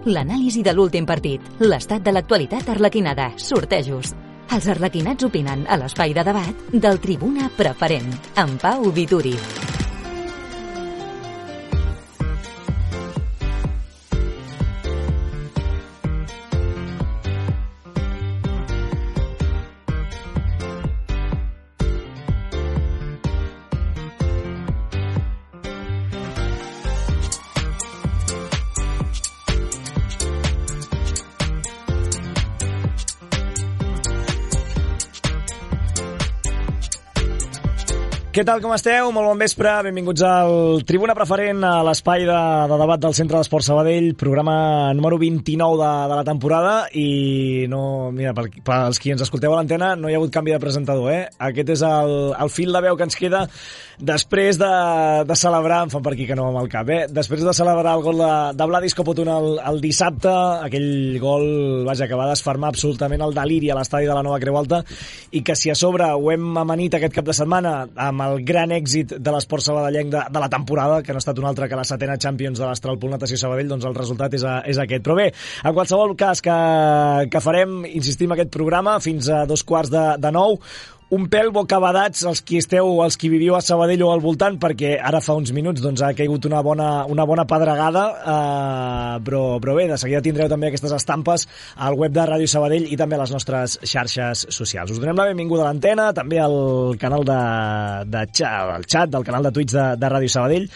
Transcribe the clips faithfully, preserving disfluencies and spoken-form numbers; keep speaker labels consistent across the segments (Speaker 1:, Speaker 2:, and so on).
Speaker 1: l'anàlisi de l'últim partit, l'estat de l'actualitat arlequinada, sortejos. Els arlequinats opinen a l'espai de debat del Tribuna Preferent, amb Pau Vituri.
Speaker 2: Què tal, com esteu? Molt bon vespre, benvinguts al Tribuna Preferent, a l'espai de, de debat del Centre d'Esport Sabadell, programa número vint-i-nou de, de la temporada, i no, mira, per, per als qui ens escolteu a l'antena, no hi ha hagut canvi de presentador, eh? Aquest és el, el fil de veu que ens queda després de, de celebrar, em fan per aquí que no amb el cap, eh? Després de celebrar el gol de, de Vladis Copotun el, el dissabte, aquell gol, vaja, que va desfermar absolutament el deliri a l'estadi de la Nova Creu Alta, i que si a sobre ho hem amanit aquest cap de setmana amb el gran èxit de l'esport sabadellenc de, de la temporada, que no ha estat un altre que la setena Champions de l'Astral Pool Natació Sabadell, doncs el resultat és, a, és aquest. Però bé, en qualsevol cas que, que farem, insistim, aquest programa fins a dos quarts de, de nou, un pèl bocabadats els qui esteu, els qui viviu a Sabadell o al voltant, perquè ara fa uns minuts doncs, ha caigut una bona, una bona pedregada, eh, però, però bé, de seguida tindreu també aquestes estampes al web de Ràdio Sabadell i també a les nostres xarxes socials. Us donem la benvinguda a l'antena, també al canal de, de xat, al xat del canal de Twitch de, de Ràdio Sabadell,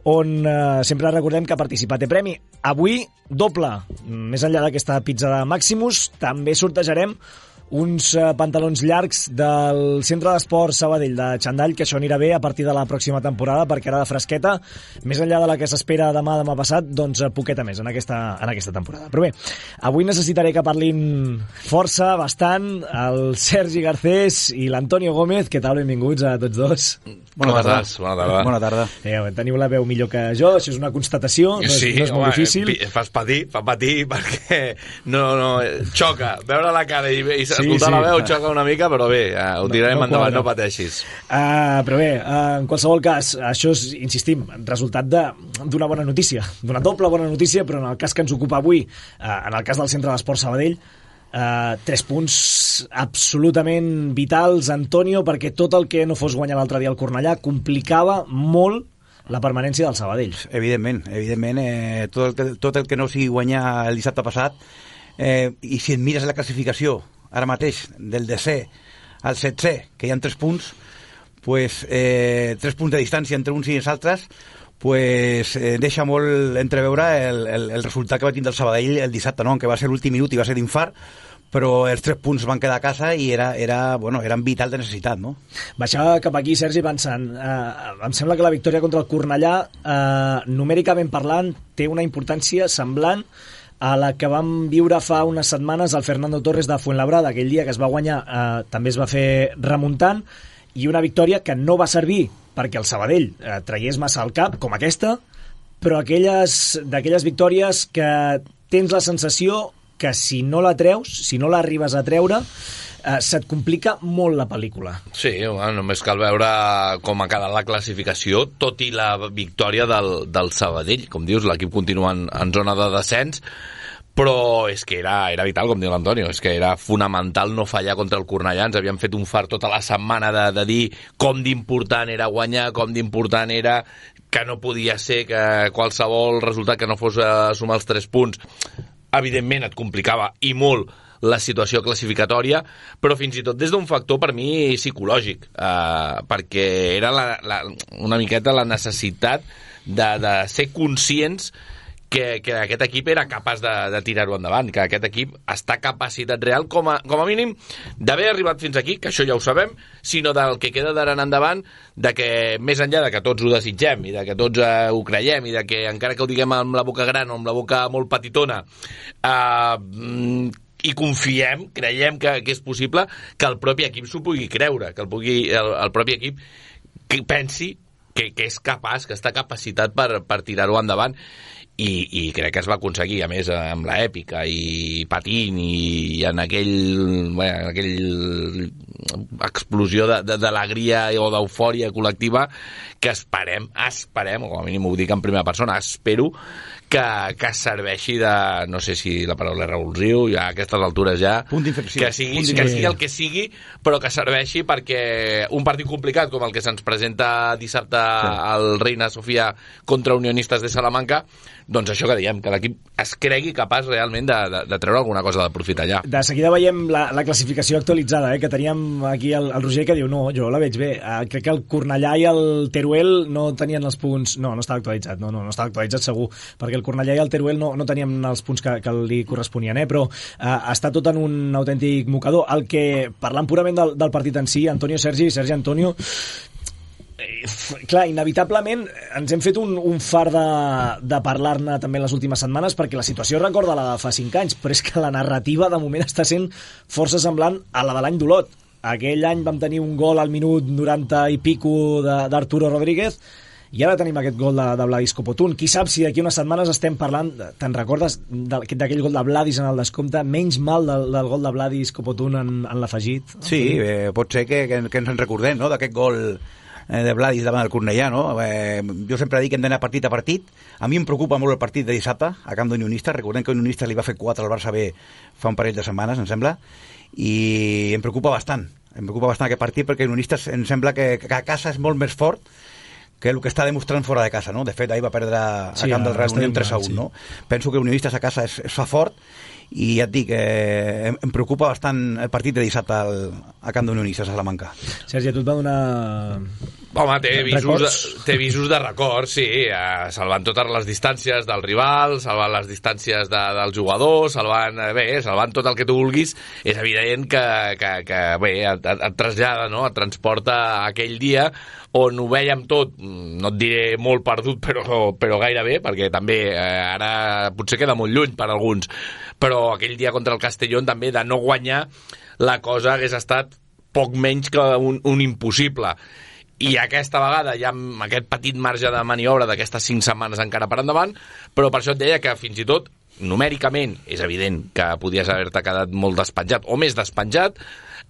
Speaker 2: on eh, sempre recordem que participar té premi. Avui, doble. Més enllà d'aquesta pizza de Maximus, també sortejarem uns uh, pantalons llargs del Centre d'Esport Sabadell de Xandall, que això anirà bé a partir de la pròxima temporada, perquè ara de fresqueta, més enllà de la que s'espera demà, demà passat, doncs poqueta més en aquesta, en aquesta temporada. Però bé, avui necessitaré que parlin força, bastant, el Sergi Garcés i l'Antonio Gómez. Què tal? Benvinguts a tots dos.
Speaker 3: Bona tarda. Bona tarda.
Speaker 2: Bona tarda. Eh, teniu la veu millor que jo, això és una constatació, no és,
Speaker 3: sí,
Speaker 2: no és molt
Speaker 3: home,
Speaker 2: difícil.
Speaker 3: Fas patir, fa patir, perquè no, no, xoca, veure la cara i, i
Speaker 2: Sí,
Speaker 3: escoltar
Speaker 2: sí.
Speaker 3: la veu xoca una mica, però bé, ho tirarem
Speaker 2: no, no
Speaker 3: endavant,
Speaker 2: quadra.
Speaker 3: no pateixis.
Speaker 2: Uh, però bé, uh, en qualsevol cas, això és, insistim, resultat de, d'una bona notícia, d'una doble bona notícia, però en el cas que ens ocupa avui, uh, en el cas del Centre d'Esport Sabadell, uh, tres punts absolutament vitals, Antonio, perquè tot el que no fos guanyar l'altre dia al Cornellà complicava molt la permanència del Sabadell.
Speaker 4: Evidentment, evidentment, eh, tot, el que, tot el que no sigui guanyar el dissabte passat, eh, i si et mires la classificació ara mateix del desè al setzè, que hi ha tres punts, pues, eh, tres punts de distància entre uns i els altres, pues, eh, deixa molt entreveure el, el, el resultat que va tindre el Sabadell el dissabte, no? Que va ser l'últim minut i va ser d'infart, però els tres punts van quedar a casa i era, era, bueno, eren vital de necessitat, no?
Speaker 2: Baixava cap aquí, Sergi, pensant, eh, em sembla que la victòria contra el Cornellà, eh, numèricament parlant, té una importància semblant a la que vam viure fa unes setmanes al Fernando Torres de Fuenlabrada. Aquell dia que es va guanyar eh, també es va fer remuntant, i una victòria que no va servir perquè el Sabadell eh, traiés massa al cap, com aquesta, però aquelles, d'aquelles victòries que tens la sensació que si no la treus, si no l'arribes a treure, eh, se't complica molt la pel·lícula.
Speaker 3: Sí, bueno, només cal veure com ha quedat la classificació, tot i la victòria del, del Sabadell. Com dius, l'equip continua en, en zona de descens, però és que era, era vital, com diu l'Antonio, és que era fonamental no fallar contra el Cornellà. Ens havíem fet un fart tota la setmana de, de dir com d'important era guanyar, com d'important era que no podia ser que qualsevol resultat que no fos a sumar els tres punts, evidentment et complicava i molt la situació classificatòria, però fins i tot des d'un factor per mi psicològic, eh, perquè era la, la, una miqueta la necessitat de, de ser conscients que, que aquest equip era capaç de, de tirar-ho endavant, que aquest equip està capacitat real, com a, com a mínim, d'haver arribat fins aquí, que això ja ho sabem, sinó del que queda d'ara en endavant, de que més enllà de que tots ho desitgem i de que tots eh, ho creiem i de que encara que ho diguem amb la boca gran o amb la boca molt petitona, eh, i confiem, creiem que, que és possible que el propi equip s'ho pugui creure, que el, pugui, el, el propi equip que pensi que, que és capaç, que està capacitat per, per tirar-ho endavant. I, i crec que es va aconseguir, a més, amb l'èpica i patint i en aquell, bueno, en aquell explosió d'alegria o d'eufòria col·lectiva que esperem, esperem, o com a mínim ho dic en primera persona, espero que, que serveixi de, no sé si la paraula és revulsiu, ja a aquestes altures ja,
Speaker 4: punt d'inflexió,
Speaker 3: que sigui, que sigui el que sigui, però que serveixi perquè un partit complicat com el que se'ns presenta dissabte sí. al Reina Sofia contra Unionistes de Salamanca, doncs això que diem, que l'equip es cregui capaç realment de, de, de treure alguna cosa de profit allà.
Speaker 2: De seguida veiem la, la classificació actualitzada, eh, que teníem aquí el, el Roger que diu, no, jo la veig bé, uh, crec que el Cornellà i el Teruel no tenien els punts, no, no estava actualitzat, no, no, no estava actualitzat segur, perquè el Cornellà i el Teruel no, no tenien els punts que, que li corresponien, eh, però uh, està tot en un autèntic mocador. El que, parlant purament del, del partit en si, Antonio Sergi, Sergi Antonio, clar, inevitablement ens hem fet un, un far de, de parlar-ne també en les últimes setmanes perquè la situació recorda la de fa cinc anys, però és que la narrativa de moment està sent força semblant a la de l'any d'Olot. Aquell any vam tenir un gol al minut noranta i pico d'Arturo Rodríguez i ara tenim aquest gol de, de Vladis Copotún. Qui sap si d'aquí unes setmanes estem parlant, te'n recordes d'aquell gol de Vladis en el descompte, menys mal del, del gol de Vladis Copotún en, en l'afegit?
Speaker 4: Sí, eh, pot ser que, que, que ens en recordem, no?, d'aquest gol de Vladis davant del Cornellà, no? Eh, jo sempre dic que hem d'anar partit a partit. A mi em preocupa molt el partit de dissabte a camp d'Unionistes. Recordem que Unionistes li va fer quatre al Barça B fa un parell de setmanes, em sembla, i em preocupa bastant. Em preocupa bastant aquest partit perquè Unionistes em sembla que, que a casa és molt més fort que el que està demostrant fora de casa, no? De fet, ahir va perdre a sí, camp del Real Unión tres a un, sí. No? Penso que Unionistes a casa es, es fa fort i ja et dic, eh, em, em preocupa bastant el partit de dissabte al, a camp d'Unionistes a Salamanca.
Speaker 2: Sergi, a tu et va donar...
Speaker 3: Home, té visos, de, té visos de record, sí, eh, salvant totes les distàncies del rival, salvant les distàncies de, del jugador, salvant, eh, bé, salvant tot el que tu vulguis. És evident que, que, que bé, et, et trasllada, no?, et transporta aquell dia on ho veiem tot, no et diré molt perdut, però, però gairebé, perquè també eh, ara potser queda molt lluny per alguns, però aquell dia contra el Castellón també de no guanyar la cosa hagués estat poc menys que un, un impossible. I aquesta vegada hi ha aquest petit marge de maniobra d'aquestes cinc setmanes encara per endavant, però per això et deia que fins i tot numèricament és evident que podies haver-te quedat molt despenjat o més despenjat,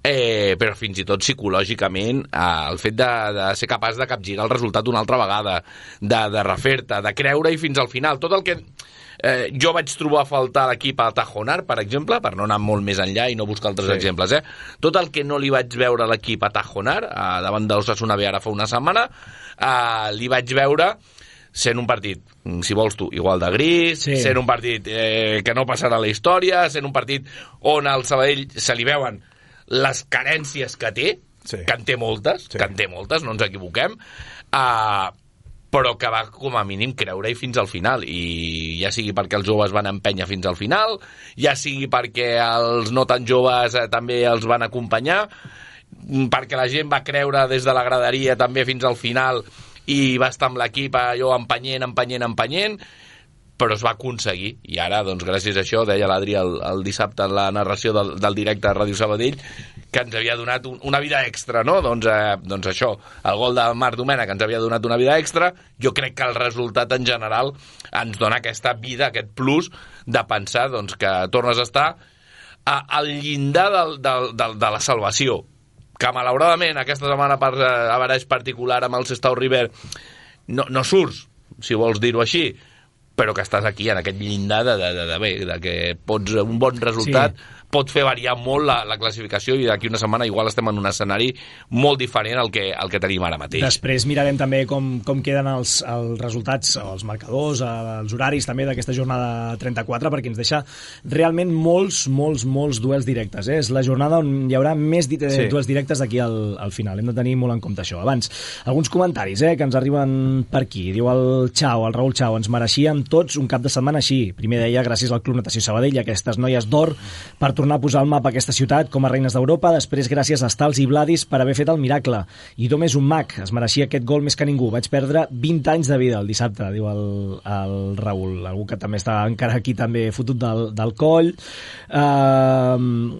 Speaker 3: eh, però fins i tot psicològicament eh, el fet de, de ser capaç de capgirar el resultat una altra vegada, de, de refer-te, de creure-hi fins al final, tot el que eh, jo vaig trobar a faltar a l'equip a Tajonar, per exemple, per no anar molt més enllà i no buscar altres sí. exemples, eh? Tot el que no li vaig veure a l'equip a Tajonar, eh, davant d'Osasuna B ara fa una setmana, eh, li vaig veure sent un partit, si vols tu, igual de gris, sí. sent un partit eh, que no passarà a la història, sent un partit on al Sabadell se li veuen les carències que té, sí. que en té moltes, sí. que en té moltes, no ens equivoquem, eh, però que va com a mínim creure-hi fins al final, i ja sigui perquè els joves van empènyer fins al final, ja sigui perquè els no tan joves eh, també els van acompanyar, perquè la gent va creure des de la graderia també fins al final i va estar amb l'equip allò empenyent, empenyent, empenyent, però es va aconseguir, i ara, doncs, gràcies a això, deia l'Adri el, el dissabte en la narració del, del directe a Ràdio Sabadell, que ens havia donat un, una vida extra, no? Doncs, eh, doncs això, el gol de Marc Domènech que ens havia donat una vida extra, jo crec que el resultat en general ens dona aquesta vida, aquest plus de pensar doncs, que tornes a estar a, al llindar del, del, del, de la salvació, que malauradament aquesta setmana per averaix particular amb el Sestao River no, no surts, si vols dir-ho així, però que estàs aquí en aquest llindar de, de, de, de, bé, de que pots, un bon resultat sí. pot fer variar molt la, la classificació, i d'aquí una setmana igual estem en un escenari molt diferent al que, al que tenim ara mateix.
Speaker 2: Després mirarem també com, com queden els, els resultats, els marcadors, els horaris també d'aquesta jornada trenta-quatre, perquè ens deixa realment molts, molts, molts duels directes. Eh? És la jornada on hi haurà més di sí. duels directes d'aquí al, al final. Hem de tenir molt en compte això. Abans, alguns comentaris eh, que ens arriben per aquí. Diu el Chao, el Raül Chao, ens mereixíem tots un cap de setmana així. Primer deia, gràcies al Club Natació Sabadell i aquestes noies d'or per tornar a posar al mapa aquesta ciutat com a reines d'Europa, després gràcies a Stals i Vladis per haver fet el miracle. I Dom és un mag, es mereixia aquest gol més que ningú. Vaig perdre vint anys de vida el dissabte, diu el, el Raül, algú que també està encara aquí també fotut del, del coll. Uh,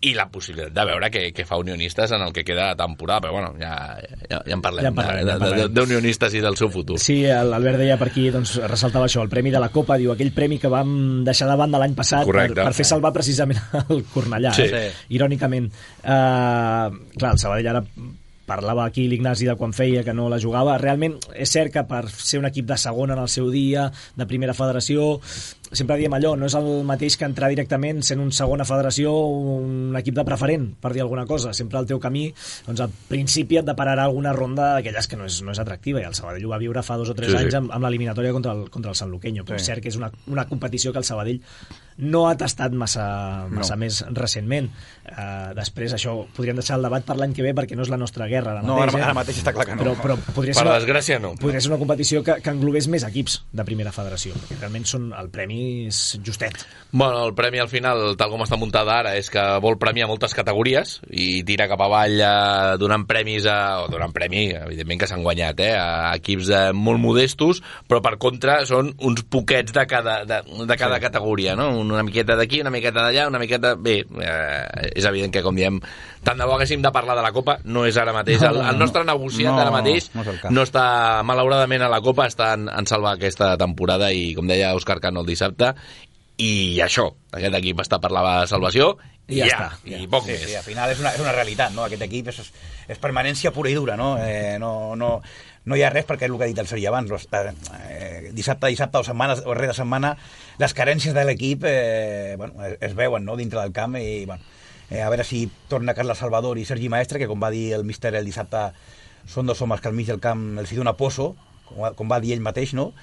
Speaker 3: i la possibilitat de veure què, què fa Unionistes en el que queda de temporada, però bueno, ja, ja, ja en parlem,
Speaker 2: ja en parlem, ja en parlem.
Speaker 3: d'Unionistes i del seu futur.
Speaker 2: Sí, l'Albert deia per aquí, doncs, ressaltava això, el Premi de la Copa, diu, aquell premi que vam deixar de banda l'any passat per, per fer salvar precisament el Cornellà,
Speaker 3: sí.
Speaker 2: eh? Irònicament. Uh, clar, el Sabadell ara parlava aquí l'Ignasi de quan feia que no la jugava. Realment és cert que per ser un equip de segona en el seu dia, de primera federació, sempre diem allò, no és el mateix que entrar directament sent un segona federació o un equip de preferent, per dir alguna cosa. Sempre el teu camí, doncs al principi et depararà alguna ronda d'aquelles que no és, no és atractiva, i el Sabadell ho va viure fa dos o tres sí, anys sí. amb, amb l'eliminatòria contra el, contra el Sant Luqueño, però sí. És cert que és una, una competició que el Sabadell no ha tastat massa, massa no. més recentment. Uh, després això podríem deixar el debat per l'any que ve perquè no és la nostra guerra ara mateix,
Speaker 4: no, ara,
Speaker 2: eh?
Speaker 4: ara mateix està clar que no.
Speaker 2: Però, però podria
Speaker 3: per
Speaker 2: ser una,
Speaker 3: desgràcia no.
Speaker 2: Podria ser una competició que, que englobés més equips de primera federació, perquè realment són, el premi és justet.
Speaker 3: Bueno, el premi al final, tal com està muntada ara, és que vol premiar moltes categories i tira cap avall eh, donant premis a, o donant premi, evidentment que s'han guanyat, eh, a equips de, molt modestos, però per contra són uns poquets de cada, de, de cada sí. categoria, no? Una miqueta d'aquí, una miqueta d'allà, una miqueta... Bé, eh, és evident que, com diem, tant de bo haguéssim de parlar de la Copa, no és ara mateix. El, el nostre negociat no, ara mateix no, no està, malauradament, a la Copa, està en, en salvar aquesta temporada i, com deia Òscar Cano el dissabte, i això, aquest equip està per la salvació i ja, ja està, i poc
Speaker 4: sí,
Speaker 3: més.
Speaker 4: Sí, al final és una, és una realitat, no? Aquest equip és, és permanència pura i dura, no? Eh, no, no, no hi ha res, perquè és el que ha dit el Sergi abans, eh, dissabte, dissabte o setmana o rere setmana, les carències de l'equip eh, bueno, es, es veuen, no?, dintre del camp, i bueno, eh, a veure si torna Carles Salvador i Sergi Maestre, que com va dir el míster el dissabte, són dos homes que al mig del camp els hi dona poso, com, com va dir ell mateix, no?,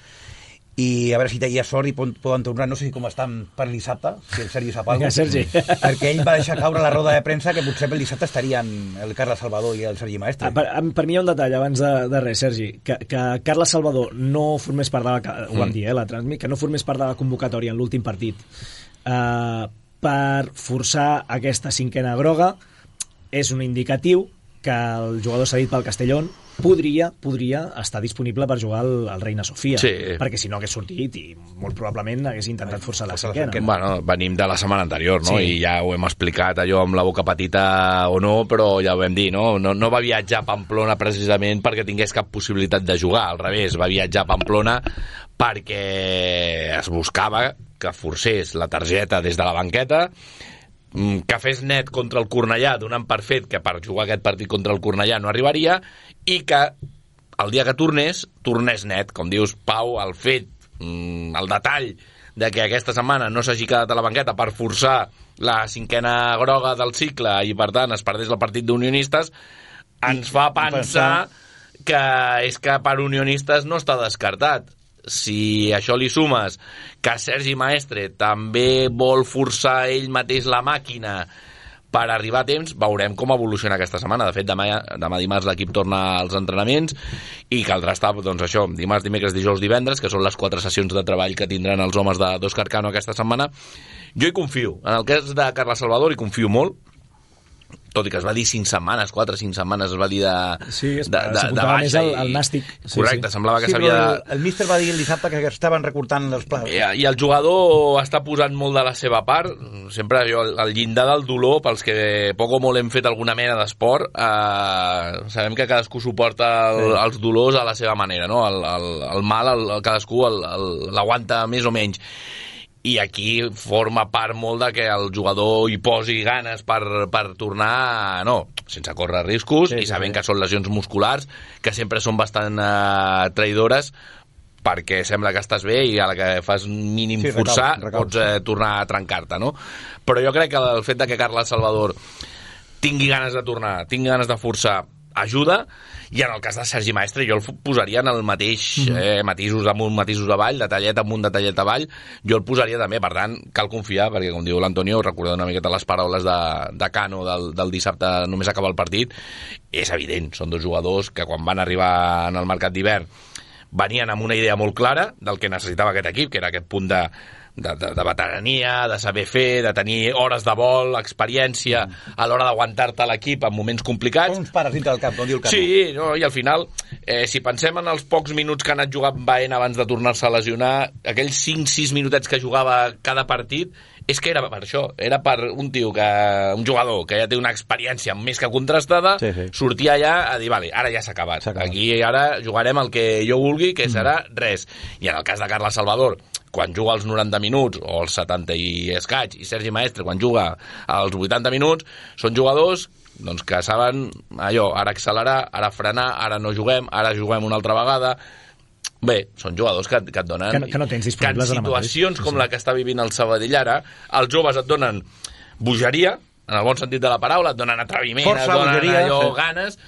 Speaker 4: i a veure si hi ha sort i poden tornar, no sé com estan per dissabte, si el Sergi sap alguna cosa,
Speaker 2: Sergi.
Speaker 4: perquè ell va deixar caure la roda de premsa que potser pel dissabte estarien el Carles Salvador i el Sergi Maestre.
Speaker 2: Ah, per, per mi hi ha un detall abans de, de res, Sergi, que, que Carles Salvador no formés part de la, ho vam dir, eh, la transmit, que no formés part de la convocatòria en l'últim partit uh, per forçar aquesta cinquena groga és un indicatiu que el jugador cedit pel Castellón podria, podria estar disponible per jugar al, al Reina Sofia,
Speaker 3: sí.
Speaker 2: perquè si no hagués sortit i molt probablement hagués intentat forçar la cinquena.
Speaker 3: Bueno, venim de la setmana anterior, no?
Speaker 2: Sí.
Speaker 3: I ja ho hem explicat, allò amb la boca petita o no, però ja ho vam dir, no? No, no va viatjar a Pamplona precisament perquè tingués cap possibilitat de jugar, al revés, va viatjar a Pamplona perquè es buscava que forcés la targeta des de la banqueta, que fes net contra el Cornellà, donant per fet que per jugar aquest partit contra el Cornellà no arribaria, i que el dia que tornés, tornés net, com dius, Pau, el fet, el detall de que aquesta setmana no s'hagi quedat a la banqueta per forçar la cinquena groga del cicle i per tant es perdés el partit d'Unionistes, ens fa pensar que és que per Unionistes no està descartat. Si això li sumes que Sergi Maestre també vol forçar ell mateix la màquina per arribar a temps, veurem com evoluciona aquesta setmana. De fet, demà, demà dimarts l'equip torna als entrenaments i caldrà estar, doncs això, dimarts, dimecres, dijous, divendres, que són les quatre sessions de treball que tindran els homes d'Òscar Cano aquesta setmana. Jo hi confio. En el cas de Carles Salvador hi confio molt, tot i que es va dir cinc setmanes, quatre o cinc setmanes es va dir de,
Speaker 2: sí, es,
Speaker 3: de, de, de baixa.
Speaker 2: Més el, el nàstic.
Speaker 3: Correcte, sí, sí. Semblava que
Speaker 4: sí,
Speaker 3: s'havia...
Speaker 4: El, el míster va dir el dissabte que estaven recortant els plans.
Speaker 3: I, I el jugador està posant molt de la seva part, sempre jo, el llindar del dolor, pels que poc o molt hem fet alguna mena d'esport, eh, sabem que cadascú suporta el, sí. els dolors a la seva manera, no? El, el, el mal, el, el cadascú l'aguanta més o menys. I aquí forma part molt de que el jugador hi posi ganes per, per tornar, no, sense córrer riscos, sí, i sabent sí. que són lesions musculars, que sempre són bastant uh, traïdores, perquè sembla que estàs bé i a la que fas mínim sí, forçar recau, recau. pots eh, tornar a trencar-te, no? Però jo crec que el fet de que Carles Salvador tingui ganes de tornar, tingui ganes de forçar, ajuda, i en el cas de Sergi Maestre jo el posaria en el mateix eh, matisos amunt, matisos avall, detallet amunt, detallet avall, jo el posaria també, per tant cal confiar, perquè com diu l'Antonio, recorda una miqueta les paraules de, de Cano del, del dissabte només acabar el partit, és evident, són dos jugadors que quan van arribar en el mercat d'hivern venien amb una idea molt clara del que necessitava aquest equip, que era aquest punt de de, de, de veterania, de saber fer, de tenir hores de vol, experiència a l'hora d'aguantar-te l'equip en moments complicats.
Speaker 4: Són uns pares dintre del camp, com diu el Cano.
Speaker 3: Sí, no, i al final, eh, si pensem en els pocs minuts que ha anat jugant Baena abans de tornar-se a lesionar, aquells cinc sis minutets que jugava cada partit, és que era per això, era per un tio, que un jugador que ja té una experiència més que contrastada, sí, sí. sortia allà a dir, vale, ara ja s'ha acabat. acabat. Aquí ara jugarem el que jo vulgui, que serà mm. res. I en el cas de Carles Salvador, quan juga als noranta minuts, o als setanta i escaig, i Sergi Maestre, quan juga als vuitanta minuts, són jugadors doncs, que saben allò, ara accelerar, ara frenar, ara no juguem, ara juguem una altra vegada. Bé, són jugadors que, que et donen...
Speaker 2: Que no, que no tens disponibles
Speaker 3: que en situacions com la que està vivint el Sabadell ara, els joves et donen bogeria, en el bon sentit de la paraula, et donen atreviment, Força, et donen bogeria, allò, sí. ganes,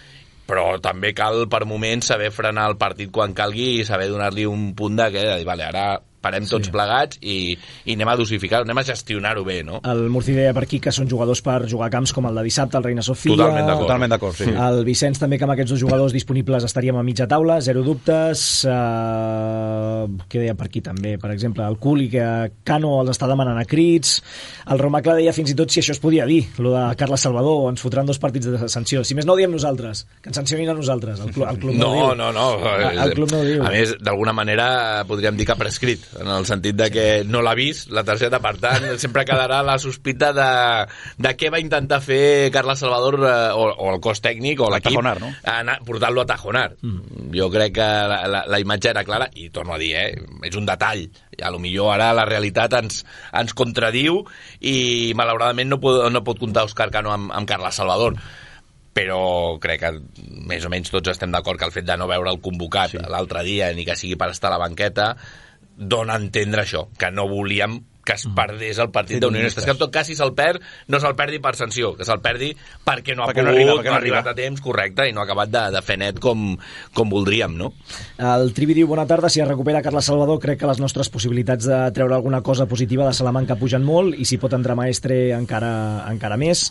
Speaker 3: però també cal per moments saber frenar el partit quan calgui i saber donar-li un punt de que, de dir, vale, ara parem tots sí. plegats i, i anem a dosificar-ho, anem a gestionar-ho bé, no?
Speaker 2: El Murci deia per aquí que són jugadors per jugar a camps com el de dissabte, el Reina Sofia...
Speaker 3: Totalment d'acord.
Speaker 4: Totalment d'acord, sí.
Speaker 2: El Vicenç també, que amb aquests dos jugadors disponibles estaríem a mitja taula, zero dubtes. Uh, què deia per aquí també? Per exemple, el Culi, que Cano els està demanant a crits. El Romacla deia fins i tot si això es podia dir, lo de Carles Salvador, ens fotran dos partits de sanció. Si més no ho diem nosaltres, que ens sancionin a nosaltres. El club, el club no,
Speaker 3: no,
Speaker 2: no,
Speaker 3: no, no.
Speaker 2: El, el club no ho diu.
Speaker 3: A més, d'alguna manera podríem dir que ha prescrit, en el sentit de que no l'ha vist la targeta, per tant sempre quedarà la sospita de, de què va intentar fer Carles Salvador eh, o, o el cos tècnic o l'equip,
Speaker 4: no?
Speaker 3: portar-lo a Tajonar. Mm. Jo crec que la, la, la imatge era clara i torno a dir, eh, és un detall, i a lo millor ara la realitat ens, ens contradiu i malauradament no pot, no pot comptar Òscar Cano amb, amb Carles Salvador, però crec que més o menys tots estem d'acord que el fet de no veure el convocat sí. l'altre dia, ni que sigui per estar a la banqueta, dona a entendre això, que no volíem que es perdés el partit sí, d'Unionistes, que en tot cas si se'l perd, no se'l perdi per sanció, que se'l perdi perquè no ha perquè pogut, no, arriba, perquè no, no ha arribat a temps, correcte, i no ha acabat de, de fer net com, com voldríem, no?
Speaker 2: El Trivi diu, bona tarda, si es recupera Carles Salvador, crec que les nostres possibilitats de treure alguna cosa positiva de Salamanca pugen molt, i si pot entrar Maestre encara, encara més.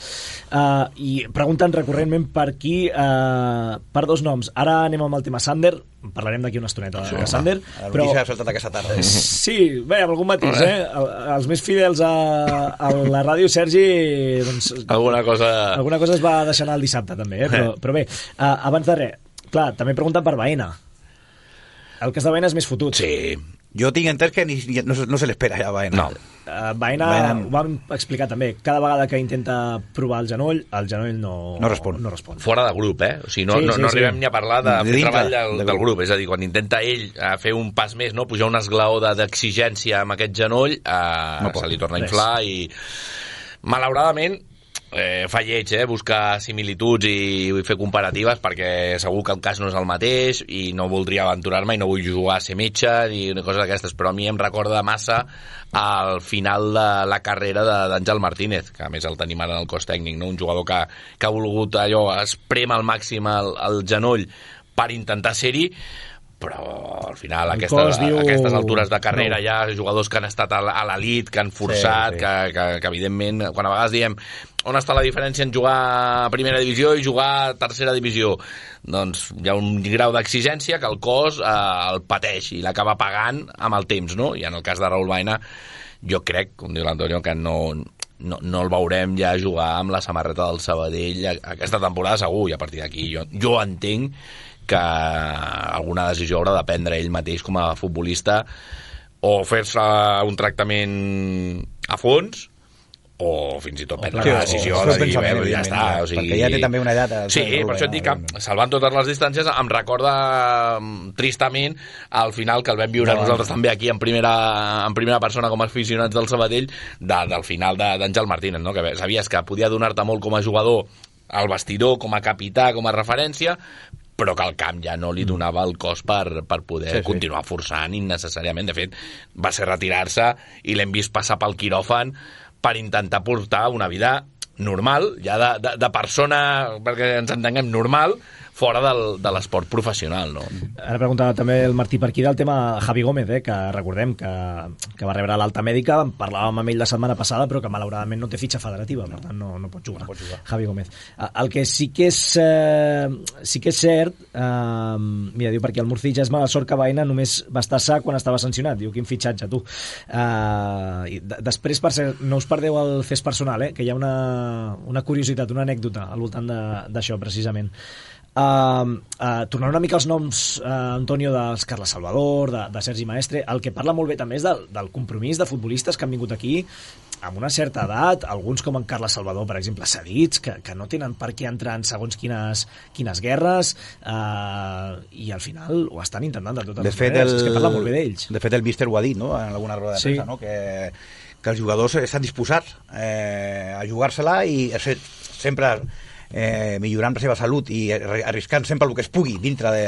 Speaker 2: Uh, I pregunten recurrentment per aquí, uh, per dos noms. Ara anem amb el tema Sander, parlarem d'aquí una estoneta de, de Sander,
Speaker 4: la
Speaker 2: però...
Speaker 4: s'ha saltat aquesta tarda.
Speaker 2: Sí, bé, amb algun matís, eh? Els més fidels a, a la ràdio, Sergi, doncs...
Speaker 3: Alguna cosa...
Speaker 2: Alguna cosa es va deixar anar el dissabte, també, eh? Però, però bé, uh, abans de res, clar, també pregunten per Baena. El cas de Baena és més fotut.
Speaker 3: Sí.
Speaker 4: Jo tinc entès que ni, no, no se l'espera ja Baena.
Speaker 3: No.
Speaker 2: Uh, Baena, Baena, ho vam explicar també, cada vegada que intenta provar el genoll, el genoll no,
Speaker 4: no, respon.
Speaker 2: no respon.
Speaker 3: Fora de grup, eh? O sigui, no,
Speaker 2: sí,
Speaker 3: no,
Speaker 2: sí,
Speaker 3: no
Speaker 2: sí.
Speaker 3: arribem ni a parlar de, de fer treball del,
Speaker 4: de
Speaker 3: del grup, és a dir, quan intenta ell a fer un pas més, no? Pujar un esglaó d'exigència amb aquest genoll, eh, no se li torna a inflar i malauradament eh, fa lleig, eh, buscar similituds i, i fer comparatives, perquè segur que el cas no és el mateix i no voldria aventurar-me i no vull jugar a ser metge ni una cosa d'aquestes, però a mi em recorda massa al final de la carrera d'Àngel Martínez, que a més el tenim ara en el cos tècnic, no? Un jugador que, que ha volgut allò esprem al màxim el, el genoll per intentar ser-hi, però al final aquesta, diu... aquestes altures de carrera no. Hi ha jugadors que han estat a l'elit, que han forçat, sí, sí. Que, que, que evidentment quan a vegades diem on està la diferència en jugar a primera divisió i jugar a tercera divisió, doncs hi ha un grau d'exigència que el cos eh, el pateix i l'acaba pagant amb el temps, no? I en el cas de Raúl Baena jo crec, com diu l'Antonio, que no, no, no el veurem ja jugar amb la samarreta del Sabadell aquesta temporada segur, i a partir d'aquí jo, jo entenc que alguna decisió haurà de prendre ell mateix com a futbolista, o fer-se un tractament a fons o fins i tot prendre la decisió de dir, bé, ja està, o sigui...
Speaker 4: perquè ja té també una edat.
Speaker 3: Sí, per això et dic que salvant totes les distàncies em recorda tristament al final que el vam viure no, nosaltres no. també aquí en primera, en primera persona com a aficionats del Sabadell de, del final d'Àngel Martínez, no? Que sabies que podia donar-te molt com a jugador al vestidor, com a capità, com a referència, però que el camp ja no li donava el cos per, per poder sí, sí. continuar forçant innecessàriament. De fet, va ser retirar-se i l'hem vist passar pel quiròfan per intentar portar una vida normal, ja de, de, de persona, perquè ens entenguem, normal, fora del, de l'esport professional, no?
Speaker 2: Ara preguntava també el Martí per aquí del tema Javi Gómez, eh, que recordem que, que va rebre l'alta mèdica, parlàvem amb ell la setmana passada, però que malauradament no té fitxa federativa, per tant no, no pot jugar, no pot jugar. Javi Gómez. El que sí que és, eh, sí que és cert, eh, mira, diu perquè el Murci ja és mala sort que Baena només va estar sa quan estava sancionat, diu quin fitxatge, tu. Eh, i d- després, per ser, no us perdeu el fes personal, eh, que hi ha una, una curiositat, una anècdota al voltant de- d'això, precisament. Uh, uh, tornant una mica als noms, uh, Antonio, dels Carles Salvador, de, de Sergi Maestre, el que parla molt bé també és del, del compromís de futbolistes que han vingut aquí amb una certa edat, alguns com en Carles Salvador, per exemple, cedits, que, que no tenen per què entrar en segons quines, quines guerres, uh, i al final ho estan intentant de totes
Speaker 4: De
Speaker 2: les
Speaker 4: fet,
Speaker 2: maneres.
Speaker 4: el,
Speaker 2: És que parla molt bé d'ells.
Speaker 4: de fet, el míster ho ha dit, no?, en alguna roda de
Speaker 2: Sí.
Speaker 4: premsa, no?, que, que els jugadors estan disposats eh, a jugar-se-la i a ser, sempre eh, millorant la seva salut i arriscant sempre el que es pugui dintre de,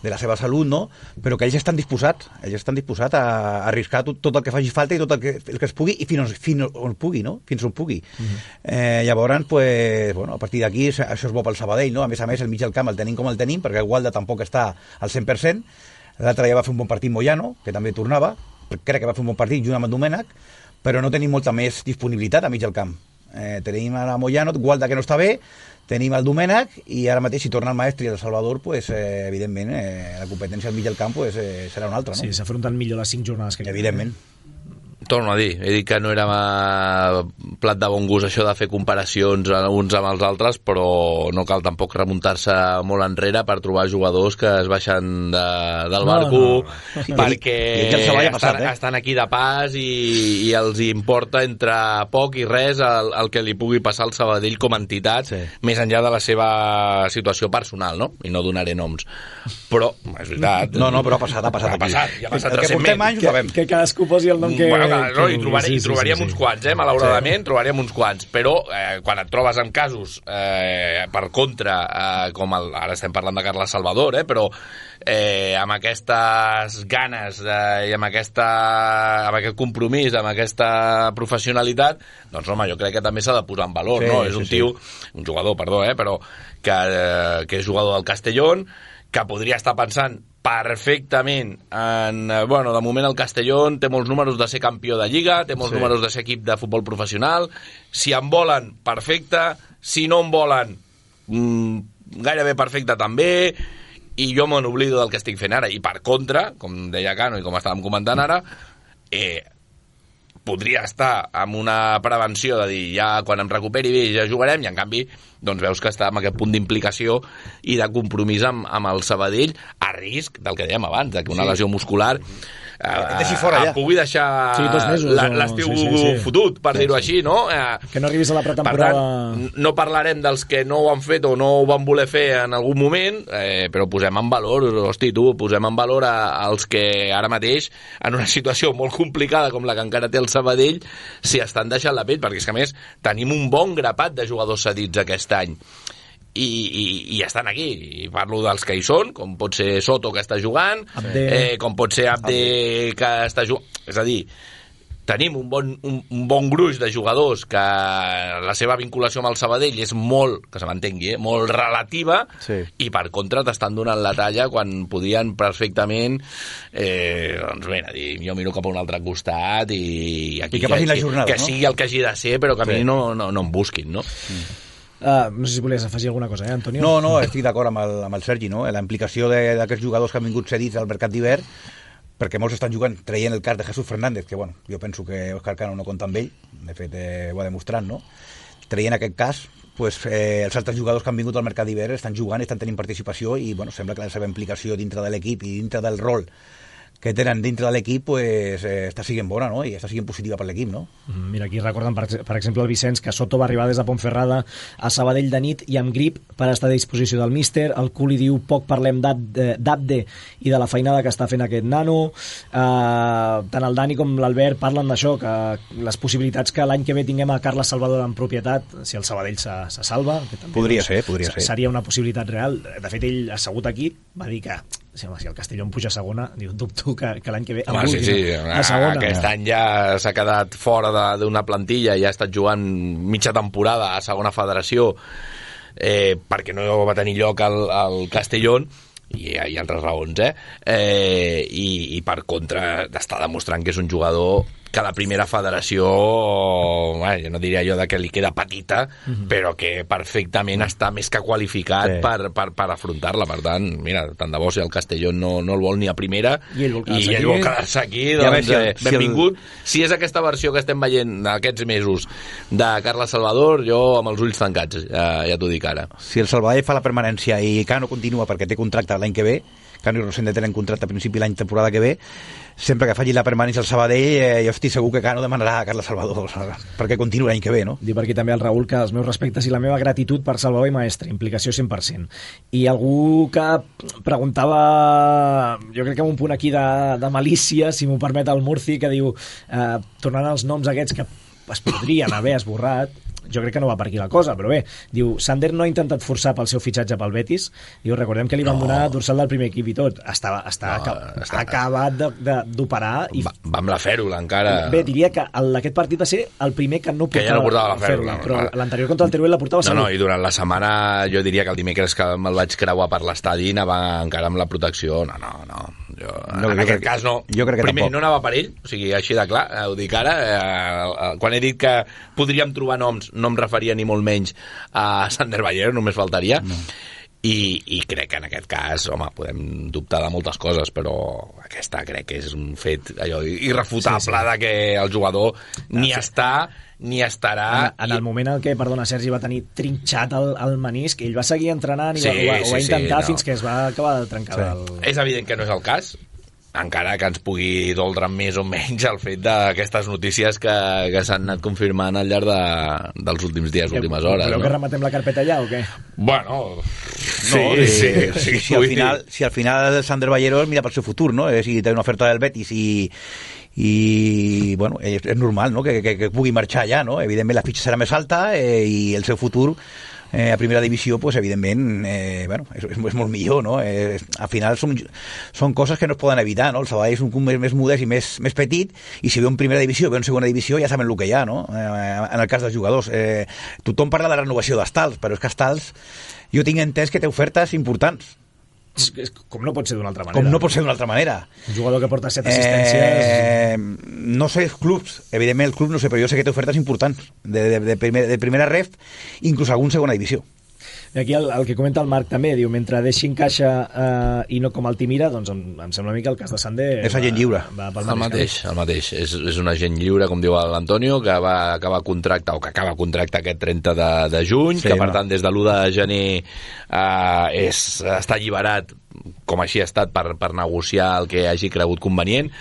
Speaker 4: de la seva salut, no? Però que ells estan disposats, ells estan disposats a arriscar tot, tot el que faci falta i tot el que, el que es pugui i fins, fins on pugui, no? Fins on pugui. Uh-huh. eh, llavors, pues, bueno, a partir d'aquí això és bo pel Sabadell, no? A més a més, el mig del camp el tenim com el tenim, perquè el Gualda tampoc està al cent per cent. L'altre ja va fer un bon partit Moyano, que també tornava, crec que va fer un bon partit junt amb el Domènech, però no tenim molta més disponibilitat a mig del camp. Eh, tenim a Moyano, Gualda que no està bé, tenim el Domènech i ara mateix si torna el Maestre i el Salvador, pues, eh, evidentment eh, la competència al mig del camp pues, eh, serà una altra, no?
Speaker 2: Sí, s'afronten millor les cinc jornades que queden.
Speaker 4: Evidentment.
Speaker 3: Torno a dir, he dit que no era plat de bon gust això de fer comparacions uns amb els altres, però no cal tampoc remuntar-se molt enrere per trobar jugadors que es baixen de, del
Speaker 2: No,
Speaker 3: barco
Speaker 2: no, no.
Speaker 3: perquè
Speaker 4: I- i ja els havia passat,
Speaker 3: estan,
Speaker 4: eh?
Speaker 3: estan aquí de pas i, i els importa entre poc i res el, el que li pugui passar al Sabadell com a entitat,
Speaker 4: Sí.
Speaker 3: més enllà de la seva situació personal, no? I no donaré noms. Però, és veritat...
Speaker 4: No, no, però ha passat, ha passat
Speaker 3: ha
Speaker 4: aquí.
Speaker 3: passat, ja ha passat
Speaker 4: El que
Speaker 3: recentment.
Speaker 4: portem anys ho sabem.
Speaker 2: Que cadascú posi el nom que...
Speaker 3: Bueno, clar, no,
Speaker 2: que
Speaker 3: i, trobar,
Speaker 2: vulgui.
Speaker 3: i trobaríem
Speaker 2: sí, sí,
Speaker 3: uns
Speaker 2: sí.
Speaker 3: quants, eh? Malauradament, sí. trobaríem uns quants. Però eh, quan et trobes amb casos eh, per contra, eh, com el, ara estem parlant de Carles Salvador, eh, però eh, amb aquestes ganes eh, i amb, aquesta, amb aquest compromís, amb aquesta professionalitat, doncs home, jo crec que també s'ha de posar en valor,
Speaker 4: Sí,
Speaker 3: no? És
Speaker 4: sí,
Speaker 3: un
Speaker 4: sí.
Speaker 3: tio, un jugador, perdó, eh, però que, eh, que és jugador del Castellón, que podria estar pensant perfectament en, eh, bueno, de moment el Castellón té molts números de ser campió de Lliga, té molts
Speaker 4: Sí.
Speaker 3: números de ser equip de futbol professional, si en volen, perfecte, si no en volen, mmm, gairebé perfecte també, i jo me n'oblido del que estic fent ara, i per contra, com deia Cano i com estàvem comentant ara, eh, podria estar amb una prevenció de dir ja quan em recuperi bé ja jugarem, i en canvi doncs veus que està amb aquest punt d'implicació i de compromís amb, amb el Sabadell a risc del que dèiem abans, de que una
Speaker 4: Sí.
Speaker 3: lesió muscular eh,
Speaker 4: deixi fora ja.
Speaker 3: pugui deixar
Speaker 2: Sí, dos mesos,
Speaker 3: la-
Speaker 2: o-
Speaker 3: l'estiu
Speaker 2: sí, sí, sí.
Speaker 3: fotut, per
Speaker 2: Sí,
Speaker 3: dir-ho
Speaker 2: sí.
Speaker 3: així, no? Eh,
Speaker 2: Que no arribis a la
Speaker 3: per
Speaker 2: pretemporada...
Speaker 3: tant, no parlarem dels que no ho han fet o no ho van voler fer en algun moment, eh, però posem en valor, hosti, tu, posem en valor a, als que ara mateix, en una situació molt complicada com la que encara té el Sabadell, s'hi estan deixant la pell, perquè és que a més tenim un bon grapat de jugadors cedits aquest any. I, i, i estan aquí, i parlo dels que hi són, com pot ser Soto, que està jugant,
Speaker 2: Abde.
Speaker 3: eh, com pot ser Abde, que està jugant, és a dir, tenim un bon, un, un bon gruix de jugadors que la seva vinculació amb el Sabadell és molt, que se m'entengui, eh, molt relativa,
Speaker 4: Sí.
Speaker 3: i per contra t'estan donant la talla quan podien perfectament eh, doncs bé, a dir, jo miro cap a un altre costat i, aquí,
Speaker 4: I que passin la jornada,
Speaker 3: que, que
Speaker 4: no?
Speaker 3: sigui el que hagi de ser, però que a
Speaker 4: Sí.
Speaker 3: mi no, no, no em busquin, no?
Speaker 2: Uh, no sé si volies afegir alguna cosa, eh, Antonio?
Speaker 4: No, no, estic d'acord amb, el, amb el Sergi, no? La implicació de- d'aquests jugadors que han vingut cedits al mercat d'hivern, perquè molts estan jugant traient el cas de Jesús Fernández, que bueno, jo penso que Òscar Cano no compta amb ell, de fet eh, ho ha demostrat, no? Traient aquest cas, pues, eh, els altres jugadors que han vingut al mercat d'hivern estan jugant, estan tenint participació i bueno, sembla que la seva implicació dintre de l'equip i dintre del rol que tenen dintre de l'equip pues, eh, està siguent bona, no? I està siguent positiva per l'equip, no?
Speaker 2: Mm, Mira, aquí recorden, per, per exemple, el Vicenç, que Soto va arribar des de Pontferrada a Sabadell de nit i amb grip per estar a disposició del míster. El Culi diu, poc parlem d'Ab- d'Abde i de la feinada que està fent aquest nano. Uh, tant el Dani com l'Albert parlen d'això, que les possibilitats que l'any que ve tinguem a Carles Salvador en propietat, si el Sabadell se, se salva... Que també,
Speaker 4: Podria ser, podria ser.
Speaker 2: Seria una possibilitat real. De fet, ell, assegut aquí, va dir que si el Castellón puja a segona, diu, dubto que, que l'any que ve... el
Speaker 3: Home, sí,
Speaker 2: vulguin
Speaker 3: sí,
Speaker 2: a segona.
Speaker 3: aquest any ja s'ha quedat fora de- d'una plantilla i ha estat jugant mitja temporada a segona federació eh, perquè no va tenir lloc al, al Castellón, i hi ha altres raons, eh? eh i, i per contra està demostrant que és un jugador que la primera federació, bueno, jo no diria jo de que li queda petita, mm-hmm. però que perfectament està més que qualificat sí. per, per, per afrontar-la. Per tant, mira, tant de bo si el Castellón no, no el vol ni a primera
Speaker 2: i ell vol quedar-se
Speaker 3: i ell
Speaker 2: aquí,
Speaker 3: vol quedar-se aquí, doncs
Speaker 4: ja
Speaker 3: eh, si benvingut. Si, el... si és aquesta versió que estem veient aquests mesos de Carles Salvador, jo amb els ulls tancats, ja, ja t'ho dic ara.
Speaker 4: Si el Salvador fa la permanència i Cano continua perquè té contracte l'any que ve, Cano i Rosende tenen contracte a principi l'any temporada que ve, sempre que faci la permanència al Sabadell, eh, jo estic segur que Cano demanarà a Carles Salvador perquè continuï l'any que ve, no?
Speaker 2: Diu per aquí també el Raül que els meus respectes i la meva gratitud per Salvador i Maestre, implicació cent per cent. I algú que preguntava, jo crec que amb un punt aquí de, de malícia, si m'ho permet el Murci, que diu, eh, tornant als noms aquests que es podrien haver esborrat, jo crec que no va per aquí la cosa, però bé, diu, Sander no ha intentat forçar pel seu fitxatge pel Betis, diu, recordem que li van no. donar dorsal del primer equip i tot, està, està, no, aca està acabat d'operar i...
Speaker 3: Va, va amb la fèrula encara.
Speaker 2: Bé, diria que el, aquest partit va ser el primer que no portava,
Speaker 3: que ja no portava la fèrula,
Speaker 2: però l'anterior contra el Teruel la portava
Speaker 3: no,
Speaker 2: segur.
Speaker 3: No, i durant la setmana jo diria que el dimecres que me'l vaig creuar per l'estadi anava encara amb la protecció, no, no, no jo, no, en aquest cas no,
Speaker 4: jo crec que
Speaker 3: primer
Speaker 4: tampoc. No
Speaker 3: anava per ell, o sigui, així de clar, ho dic ara, eh, quan he dit que podríem trobar noms, no em referia ni molt menys a Sander Ballero, només faltaria, no. I, i crec que en aquest cas, home, podem dubtar de moltes coses, però aquesta crec que és un fet allò irrefutable sí, sí. de que el jugador ni sí. està ni estarà...
Speaker 2: En, en el moment en què, perdona, Sergi va tenir trinxat el, el menisc, ell va seguir entrenant i
Speaker 3: sí,
Speaker 2: va, ho, va, ho va
Speaker 3: sí,
Speaker 2: intentar
Speaker 3: sí, no.
Speaker 2: fins que es va acabar de trencar sí. el...
Speaker 3: És evident que no és el cas, encara que ens pugui doldre més o menys el fet d'aquestes notícies que, que s'han anat confirmant al llarg de, dels últims dies, que, últimes hores.
Speaker 2: Voleu
Speaker 3: no?
Speaker 2: que rematem la carpeta ja o què?
Speaker 3: Bueno,
Speaker 4: no,
Speaker 3: sí,
Speaker 4: sí,
Speaker 3: sí,
Speaker 4: sí,
Speaker 3: sí,
Speaker 4: si, al final, si al final Sander Ballero mira pel seu futur, no? És a dir, té una oferta del Betis i i bueno, és, és normal, no? que, que, que pugui marxar ja, no? Evidentment la fitxa serà més alta eh, i el seu futur Eh, a primera divisió, pues, evidentment eh, bueno, és, és, és molt millor, no? Eh, al final són, són coses que no es poden evitar, no? El Sabadell és un club més, més modest i més, més petit, i si ve en primera divisió, ve en segona divisió, ja saben el que hi ha, no? Eh, en el cas dels jugadors eh, tothom parla de la renovació d'Estals, però és que Estals jo tinc entès que té ofertes importants.
Speaker 2: Com no pot ser d'una altra manera.
Speaker 4: Com no pot ser d'una altra manera.
Speaker 2: Un jugador que porta set assistències...
Speaker 4: Eh, no sé els clubs, evidentment el club no sé, però jo sé que té ofertes importants de, de, de, primer, de primera ref, inclús algun segona divisió.
Speaker 2: I aquí el, el que comenta el Marc també, diu, mentre deixin caixa eh, i no com Altimira, doncs em, em sembla a mi que el cas de Sander...
Speaker 4: És agent lliure.
Speaker 2: Va, va
Speaker 3: el mateix, el mateix. És, és un agent lliure, com diu l'Antonio, que va acabar contracte, o que acaba contracte aquest trenta de, de juny, sí, que per no. tant des de l'u de gener eh, és, està alliberat, com així ha estat, per, per negociar el que hagi cregut convenient.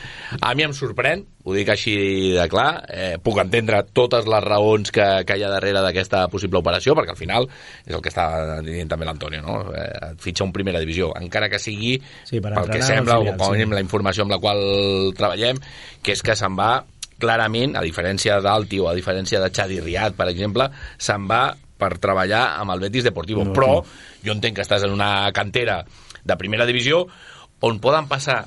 Speaker 3: A mi em sorprèn, ho dic així de clar, eh, puc entendre totes les raons que, que hi ha darrere d'aquesta possible operació, perquè al final és el que està dient també l'Antonio, no? Eh, et fitxa un primera divisió, encara que sigui sí, per pel que sembla, o com a mínim sí. la informació amb la qual treballem, que és que se'n va clarament, a diferència d'Alti o a diferència de Xavi Riad, per exemple, se'n va per treballar amb el Betis Deportivo, no, però jo entenc que estàs en una cantera de primera divisió on poden passar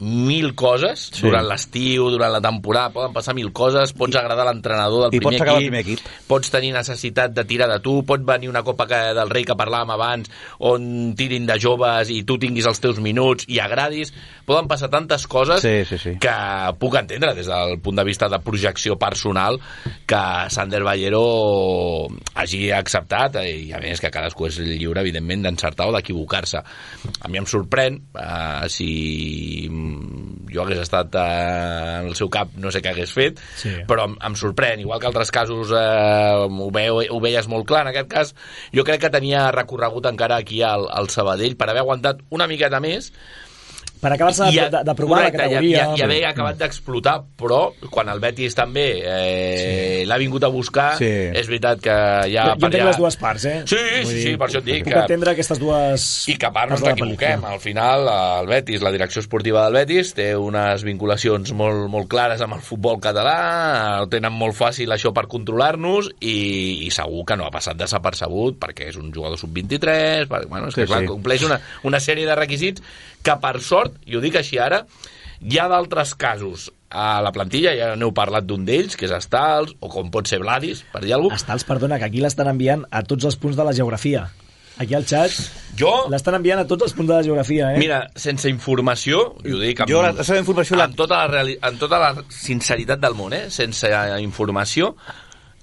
Speaker 3: mil coses sí. durant l'estiu, durant la temporada, poden passar mil coses, pots agradar l'entrenador del primer equip,
Speaker 4: primer equip,
Speaker 3: pots tenir necessitat de tirar de tu, pot venir una Copa del Rei que parlàvem abans, on tirin de joves i tu tinguis els teus minuts i agradis, poden passar tantes coses
Speaker 4: sí, sí, sí.
Speaker 3: que puc entendre des del punt de vista de projecció personal que Sander Ballero hagi acceptat, i a més que cadascú és lliure, evidentment, d'encertar o d'equivocar-se. A mi em sorprèn, eh, si jo hagués estat eh, en el seu cap, no sé què hagués fet, sí. però em, em sorprèn, igual que altres casos eh, ho, veu, ho veies molt clar. En aquest cas jo crec que tenia recorregut encara aquí al, al Sabadell per haver aguantat una miqueta més
Speaker 2: per acabar-se de, de, de provar
Speaker 3: correcte,
Speaker 2: la categoria.
Speaker 3: I, i, i haver acabat d'explotar, però quan el Betis també eh, sí. l'ha vingut a buscar, sí. és veritat que ja...
Speaker 2: Jo, jo entenc ja... les dues parts, eh?
Speaker 3: Sí, sí, sí, per això et dic.
Speaker 2: Puc que... entendre aquestes dues...
Speaker 3: I que a part no ens equivoquem. Al final, el Betis, la direcció esportiva del Betis, té unes vinculacions molt, molt clares amb el futbol català, ho tenen molt fàcil això per controlar-nos, i, i segur que no ha passat desapercebut, perquè és un jugador sub vint-i-tres, perquè, bueno, és que sí, clar, sí. compleix una, una sèrie de requisits que per sort, i ho dic així ara, hi ha d'altres casos a la plantilla, ja n'heu parlat d'un d'ells, que és Stals, o com pot ser Vladis, per dir alguna cosa.
Speaker 2: Stals, perdona, que aquí l'estan enviant a tots els punts de la geografia. Aquí al xat
Speaker 3: jo...
Speaker 2: l'estan enviant a tots els punts de la geografia, eh?
Speaker 3: Mira, sense informació, jo ho dic amb,
Speaker 4: jo la, la seva informació
Speaker 3: amb, tota la reali... amb tota la sinceritat del món, eh? Sense informació,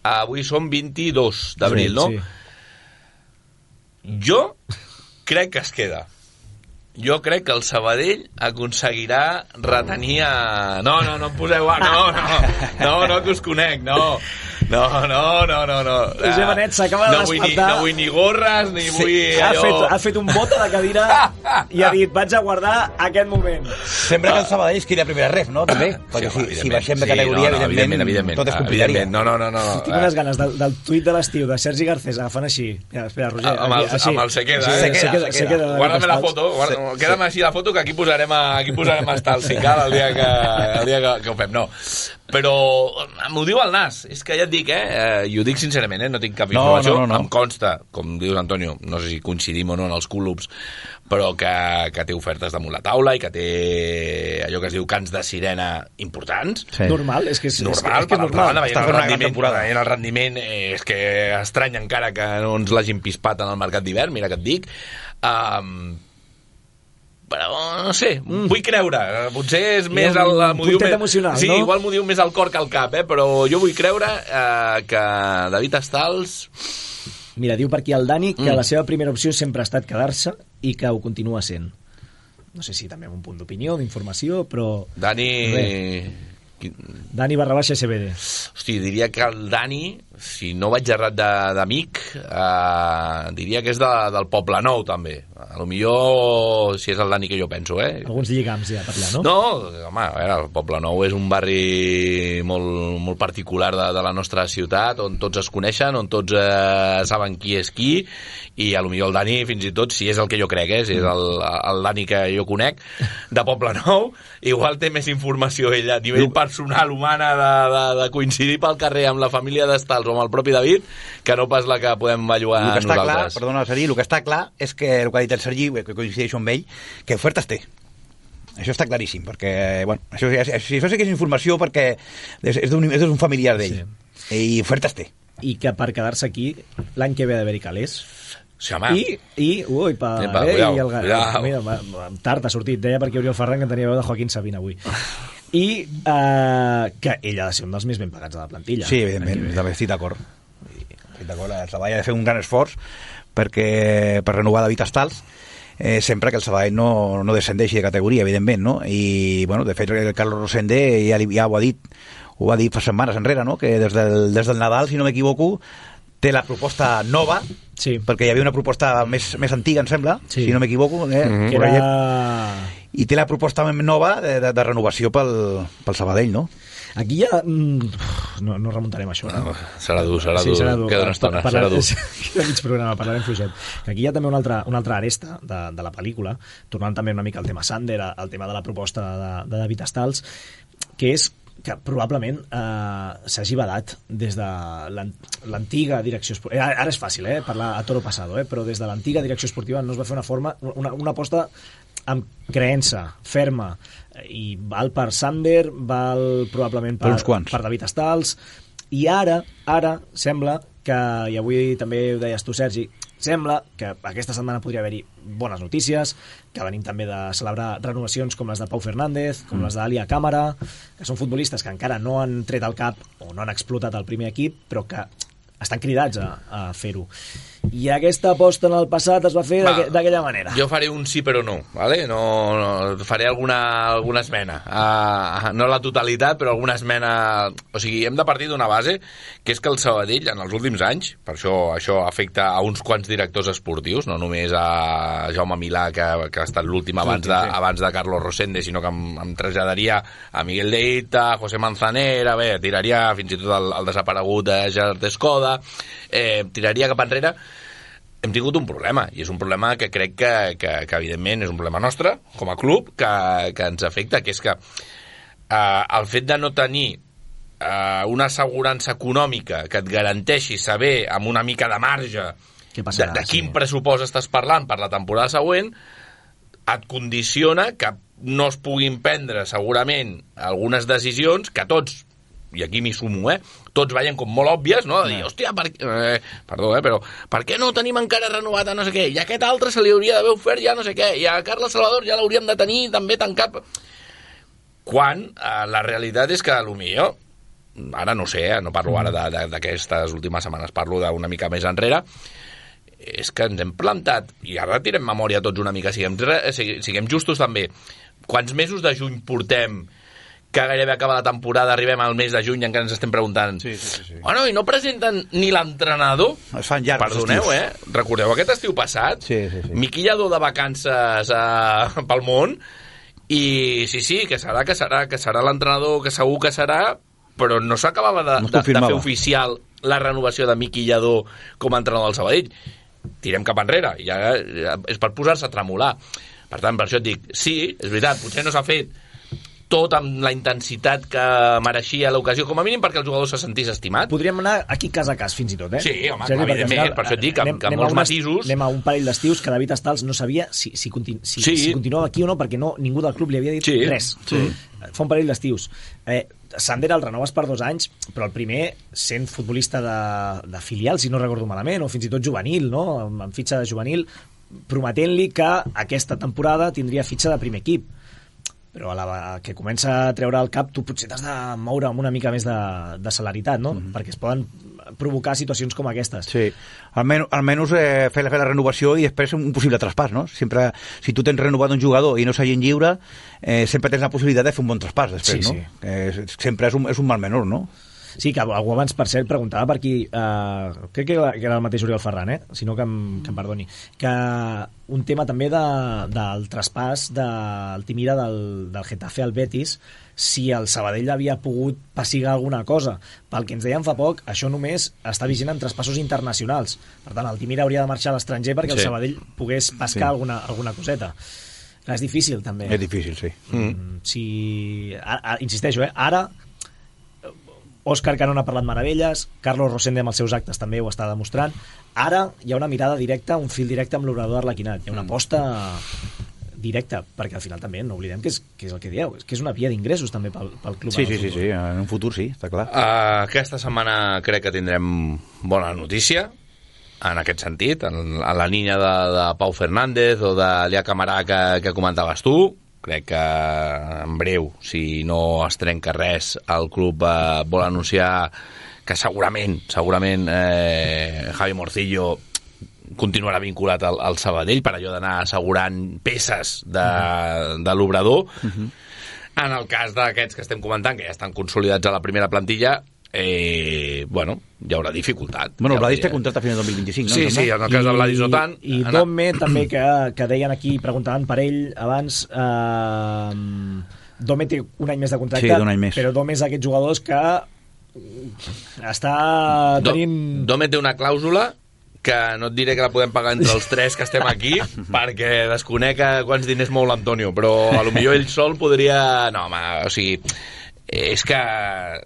Speaker 3: avui som vint-i-dos d'abril,
Speaker 2: sí,
Speaker 3: no?
Speaker 2: Sí.
Speaker 3: Jo crec que es queda. Jo crec que el Sabadell aconseguirà retenir a... No, no, no em poseu... No, no, no, no, que us conec, no. No, no, no, no, no.
Speaker 2: Josep Benet s'acaba de
Speaker 3: no vull ni, no vull ni gorres, ni
Speaker 2: sí,
Speaker 3: vull
Speaker 2: ha
Speaker 3: allò...
Speaker 2: Fet, ha fet un bot a la cadira i ha dit, vaig a guardar aquest moment.
Speaker 4: Sempre que el Sabadell es quedi a primera ref, no? També, perquè
Speaker 3: sí,
Speaker 4: si, si baixem de categoria,
Speaker 3: sí, no, no,
Speaker 4: evidentment,
Speaker 3: evidentment,
Speaker 4: tot es complicaria.
Speaker 3: No, no, no, no.
Speaker 2: Tinc unes ganes del, del tuit de l'estiu de Sergi Garcés agafant així. Mira, espera, Roger.
Speaker 3: Amb el,
Speaker 2: aquí,
Speaker 3: amb el se queda,
Speaker 2: sí,
Speaker 3: eh?
Speaker 2: Se queda, se queda.
Speaker 3: Guárdame la foto, guarda, sí, queda'm així la foto, que aquí posarem, a, aquí posarem hasta el Sical el dia que, el dia que, que ho fem. No, però m'ho diu el nas, és que ja et dic, eh, i ho dic sincerament, eh, no tinc cap informació, no, no, no, no. Em consta, com dius Antonio, no sé si coincidim o no en els clubs, però que, que té ofertes damunt la taula i que té allò que es diu cants de sirena importants.
Speaker 2: Sí. Normal, és que és
Speaker 3: normal,
Speaker 2: és, que és normal.
Speaker 3: Està fent una gran temporada. En el rendiment eh, és que estrany encara que no ens l'hagin pispat en el mercat d'hivern, mira que et dic. Um, però no sé, mm. vull creure, potser és
Speaker 2: I
Speaker 3: més
Speaker 2: el,
Speaker 3: el,
Speaker 2: puntet més, emocional,
Speaker 3: sí,
Speaker 2: no?
Speaker 3: Igual m'ho diu més el cor que el cap, eh? Però jo vull creure eh, que David Stals...
Speaker 2: Mira, diu per aquí el Dani que
Speaker 3: mm.
Speaker 2: la seva primera opció sempre ha estat quedar-se i que ho continua sent. No sé si també amb un punt d'opinió, d'informació, però...
Speaker 3: Dani...
Speaker 2: Res. Dani barra baixa S B D.
Speaker 3: Hosti, diria que el Dani, si no vaig errat d'amic, eh, diria que és de, del Poble Nou, també. A lo millor, si és el Dani que jo penso, eh?
Speaker 2: Alguns lligams ja per allà, no?
Speaker 3: No, home, a veure, el Poble Nou és un barri molt, molt particular de, de la nostra ciutat, on tots es coneixen, on tots eh, saben qui és qui, i a lo millor el Dani, fins i tot, si és el que jo crec, eh, si és el, el Dani que jo conec, de Poble Nou, igual té més informació ell a nivell personal, humana, de, de, de coincidir pel carrer amb la família d'Estals o amb el propi David, que no pas la que podem bellugar
Speaker 4: nosaltres. Clar, perdona, Sergi, el que està clar és que el que ha dit el Sergi, que coincideixo amb ell, que ofertes té. Això està claríssim, perquè, bueno, això, això, això sí que és informació perquè és, és d'un familiar d'ell. Sí. I ofertes té.
Speaker 2: I que per quedar-se aquí, l'any que ve ha d'haver-hi calés.
Speaker 3: Sí, home.
Speaker 2: I, i, ui, pa,
Speaker 3: Epa,
Speaker 2: eh,
Speaker 3: cuidao,
Speaker 2: i el,
Speaker 3: cuidao.
Speaker 2: Mira, tard ha sortit, deia perquè Oriol Ferran que tenia veu de Joaquín Sabina avui. I eh, que ell ha de ser un dels més ben pagats de la plantilla.
Speaker 4: Sí, evidentment, també estic d'acord. Estic d'acord, el Sabadell ha de fer un gran esforç perquè, per renovar David Stals, eh, sempre que el Sabadell no, no descendeixi de categoria, evidentment, no? I, bueno, de fet, el Carlos Rosende ja, ja ho ha dit, ho va dir fa setmanes enrere, no? Que des del, des del Nadal, si no m'equivoco, té la proposta nova, sí. Perquè hi havia una proposta més, més antiga, em sembla, sí. Si no m'equivoco, eh?
Speaker 2: Mm-hmm. Que era...
Speaker 4: I té la proposta nova de, de, de renovació pel, pel Sabadell, no?
Speaker 2: Aquí ja... No, no remuntarem això, no?
Speaker 3: Serà dur, serà dur.
Speaker 2: Sí, serà dur.
Speaker 3: Queda una estona, serà dur.
Speaker 2: Queda mig programa, parlarem fluixet. Que aquí hi ha també una altra, una altra aresta de, de la pel·lícula, tornant també una mica al tema Sander, al tema de la proposta de, de David Stals, que és que probablement eh, s'hagi badat des de l'antiga direcció esportiva. Ara és fàcil, eh, parlar a toro passado, eh, però des de l'antiga direcció esportiva no es va fer una forma, una, una aposta amb creença ferma, i val per Sander, val probablement per,
Speaker 4: per,
Speaker 2: per David Stals, i ara, ara sembla que, i avui també ho deies tu, Sergi, sembla que aquesta setmana podria haver-hi bones notícies, que venim també de celebrar renovacions com les de Pau Fernández, com mm. les d'Alia Càmara, que són futbolistes que encara no han tret el cap o no han explotat el primer equip, però que estan cridats a, a fer-ho. I aquesta aposta en el passat es va fer d'aquella manera.
Speaker 3: Jo faré un sí però no, ¿vale? No, no faré alguna, alguna esmena. Uh, no la totalitat, però alguna esmena... O sigui, hem de partir d'una base, que és que el Sabadell, en els últims anys, per això això afecta a uns quants directors esportius, no només a Jaume Milà, que, que ha estat l'últim abans, de, abans de Carlos Rosende, sinó que em, em traslladaria a Miguel Deita, a José Manzanera, bé, tiraria fins i tot el, el desaparegut de Gerard Escoda, eh, tiraria cap enrere. Hem tingut un problema, i és un problema que crec que, que, que evidentment és un problema nostre, com a club, que, que ens afecta, que és que eh, el fet de no tenir eh, una assegurança econòmica que et garanteixi saber amb una mica de marge passarà, de, de quin sí. pressupost estàs parlant per la temporada següent, et condiciona que no es puguin prendre segurament algunes decisions que tots, i aquí m'hi sumo, eh? Tots veien com molt òbvies, no? De dir, hòstia, per... eh, perdó, eh, però per què no tenim encara renovat a no sé què? I a aquest altre se li hauria d'haver ofert ja no sé què, i a Carles Salvador ja l'hauríem de tenir també tancat. Quan eh, la realitat és que potser, ara no sé, eh, no parlo ara d'aquestes últimes setmanes, parlo d'una mica més enrere, és que ens hem plantat, i ara tirem memòria tots una mica, siguem, siguem justos també. Quants mesos de juny portem que gairebé acaba la temporada, arribem al mes de juny i encara ens estem preguntant
Speaker 4: sí, sí, sí.
Speaker 3: Bueno, i no presenten ni l'entrenador?
Speaker 4: Es fan llargs.
Speaker 3: Perdoneu, eh? Recordeu aquest estiu passat?
Speaker 4: Sí, sí, sí.
Speaker 3: Miqui Lladó de vacances eh, pel món, i sí, sí, que serà, que serà, que serà l'entrenador, que segur que serà, però no s'acabava de,
Speaker 4: no
Speaker 3: de, de fer oficial la renovació de Miqui Lladó com a entrenador del Sabadell. Tirem cap enrere, ja és per posar-se a tremolar. Per tant, per això et dic, sí, és veritat, potser no s'ha fet tot amb la intensitat que mereixia l'ocasió, com a mínim perquè el jugador se sentís estimat.
Speaker 2: Podríem anar aquí cas a cas, fins i tot, eh?
Speaker 3: Sí, home, Sergi, evidentment, final, per això et dic que, anem, que molts matisos...
Speaker 2: Anem a un parell d'estius que David Estals no sabia si, si, continu, si, sí. si continuava aquí o no, perquè no, ningú del club li havia dit
Speaker 3: sí.
Speaker 2: res.
Speaker 3: Sí.
Speaker 2: Fa un parell d'estius. Eh, Sander el renoves per dos anys, però el primer sent futbolista de, de filial, si no recordo malament, o fins i tot juvenil, no? amb, amb fitxa de juvenil, prometent-li que aquesta temporada tindria fitxa de primer equip. Però a la que comença a treure el cap tu potser t'has de moure amb una mica més de, de celeritat, no? Mm-hmm. Perquè es poden provocar situacions com aquestes.
Speaker 4: Sí, almenys, almenys eh, fer, fer la renovació i després un possible traspàs, no? Sempre, si tu tens renovat un jugador i no s'hagin lliure, eh, sempre tens la possibilitat de fer un bon traspàs després,
Speaker 2: sí,
Speaker 4: no?
Speaker 2: Sí.
Speaker 4: Eh, sempre és un, és un mal menor, no?
Speaker 2: Sí, que algú abans, per cert, preguntava per aquí, eh, crec que era el mateix Oriol Ferran, eh? Si no que em, que em perdoni, que un tema també de, del traspàs del Timira del, del Getafe al Betis, si el Sabadell havia pogut passigar alguna cosa. Pel que ens deien fa poc, això només està vigent en traspassos internacionals. Per tant, el Timira hauria de marxar a l'estranger perquè sí. el Sabadell pogués pescar sí. alguna, alguna coseta. Clar, és difícil, també.
Speaker 4: És difícil, sí.
Speaker 2: Mm. Si, ara, ara, insisteixo, eh? Ara Òscar Canón ha parlat meravelles, Carlos Rosende amb els seus actes també ho està demostrant. Ara hi ha una mirada directa, un fil directe amb l'obrador Arlequinat. Hi ha una aposta directa, perquè al final també no oblidem que és, que és el que dieu, que és una via d'ingressos també pel, pel club.
Speaker 4: Sí, sí, sí, sí, en un futur sí, està clar.
Speaker 3: Uh, aquesta setmana crec que tindrem bona notícia en aquest sentit, en, en la línia de, de Pau Fernández o de Lia Camarà que, que comentaves tu. Crec que en breu, si no es trenca res, el club eh, vol anunciar que segurament, segurament eh, Javi Morcillo continuarà vinculat al, al Sabadell per allò d'anar assegurant peces de, uh-huh. de l'obrador. Uh-huh. En el cas d'aquests que estem comentant, que ja estan consolidats a la primera plantilla, eh, bueno, hi haurà dificultat.
Speaker 4: Bueno, el
Speaker 3: ja
Speaker 4: Vladis té contracte a final del dos mil vint-i-cinc, no?
Speaker 3: Sí, sí, en el cas del Vladis no tant.
Speaker 2: I, i Dome també, que, que deien aquí, preguntaven per ell abans, eh, Dome té un any més de contracte,
Speaker 4: sí, un any més.
Speaker 2: Però Dome és d'aquests jugadors que està tenint...
Speaker 3: Dome té una clàusula que no et diré que la podem pagar entre els tres que estem aquí, perquè desconec quants diners mou l'Antonio, però a lo millor ell sol podria... No, home, o sigui... És que,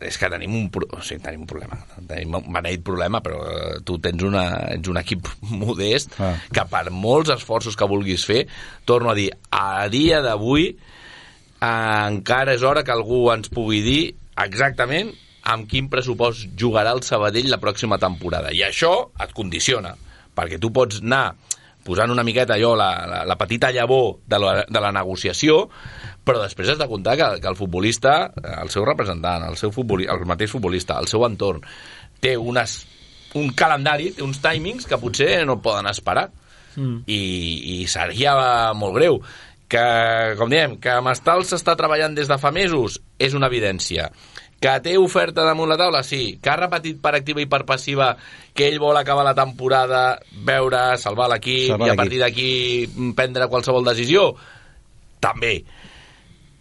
Speaker 3: és que tenim un, o sigui, tenim un problema. Tenim un beneït problema, però tu tens, una, ets un equip modest ah. que per molts esforços que vulguis fer, torno a dir, a dia d'avui eh, encara és hora que algú ens pugui dir exactament amb quin pressupost jugarà el Sabadell la pròxima temporada. I això et condiciona, perquè tu pots anar posant una miqueta allò, la, la, la petita llavor de la, de la negociació, però després has de comptar que, que el futbolista, el seu representant, el, seu futboli, el mateix futbolista, el seu entorn, té unes, un calendari, té uns timings que potser no poden esperar. Mm. I, i seria molt greu. Que, com diem, que Mestral s'està treballant des de fa mesos, és una evidència. Que té oferta damunt la taula, sí. Que ha repetit per activa i per passiva que ell vol acabar la temporada, veure, salvar l'equip salvar i a partir d'aquí prendre qualsevol decisió, també.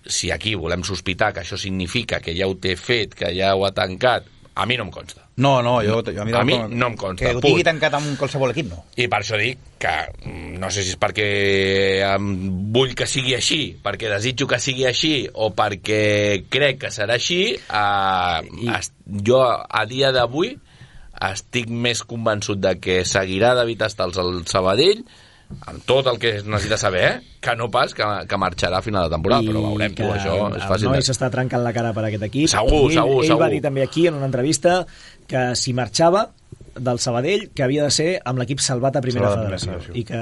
Speaker 3: Si aquí volem sospitar que això significa que ja ho té fet, que ja ho ha tancat, a mi no em consta.
Speaker 4: No, no, jo... A mi,
Speaker 3: a mi no em consta.
Speaker 4: Que ho tingui tancat amb qualsevol equip, no.
Speaker 3: I per això dic que no sé si és perquè vull que sigui així, perquè desitjo que sigui així, o perquè crec que serà així, eh, I... jo a dia d'avui estic més convençut de que seguirà David Estals al Sabadell amb tot el que es necessita saber, que no pas que, que marxarà a final de temporada, I però veurem, tu, això és fàcil.
Speaker 2: El noi s'està trencant la cara per aquest equip.
Speaker 3: Segur,
Speaker 2: ell,
Speaker 3: segur,
Speaker 2: ell
Speaker 3: segur.
Speaker 2: va dir també aquí en una entrevista que si marxava del Sabadell, que havia de ser amb l'equip salvat a primera
Speaker 4: Salvat
Speaker 2: federació,
Speaker 4: federació
Speaker 2: i que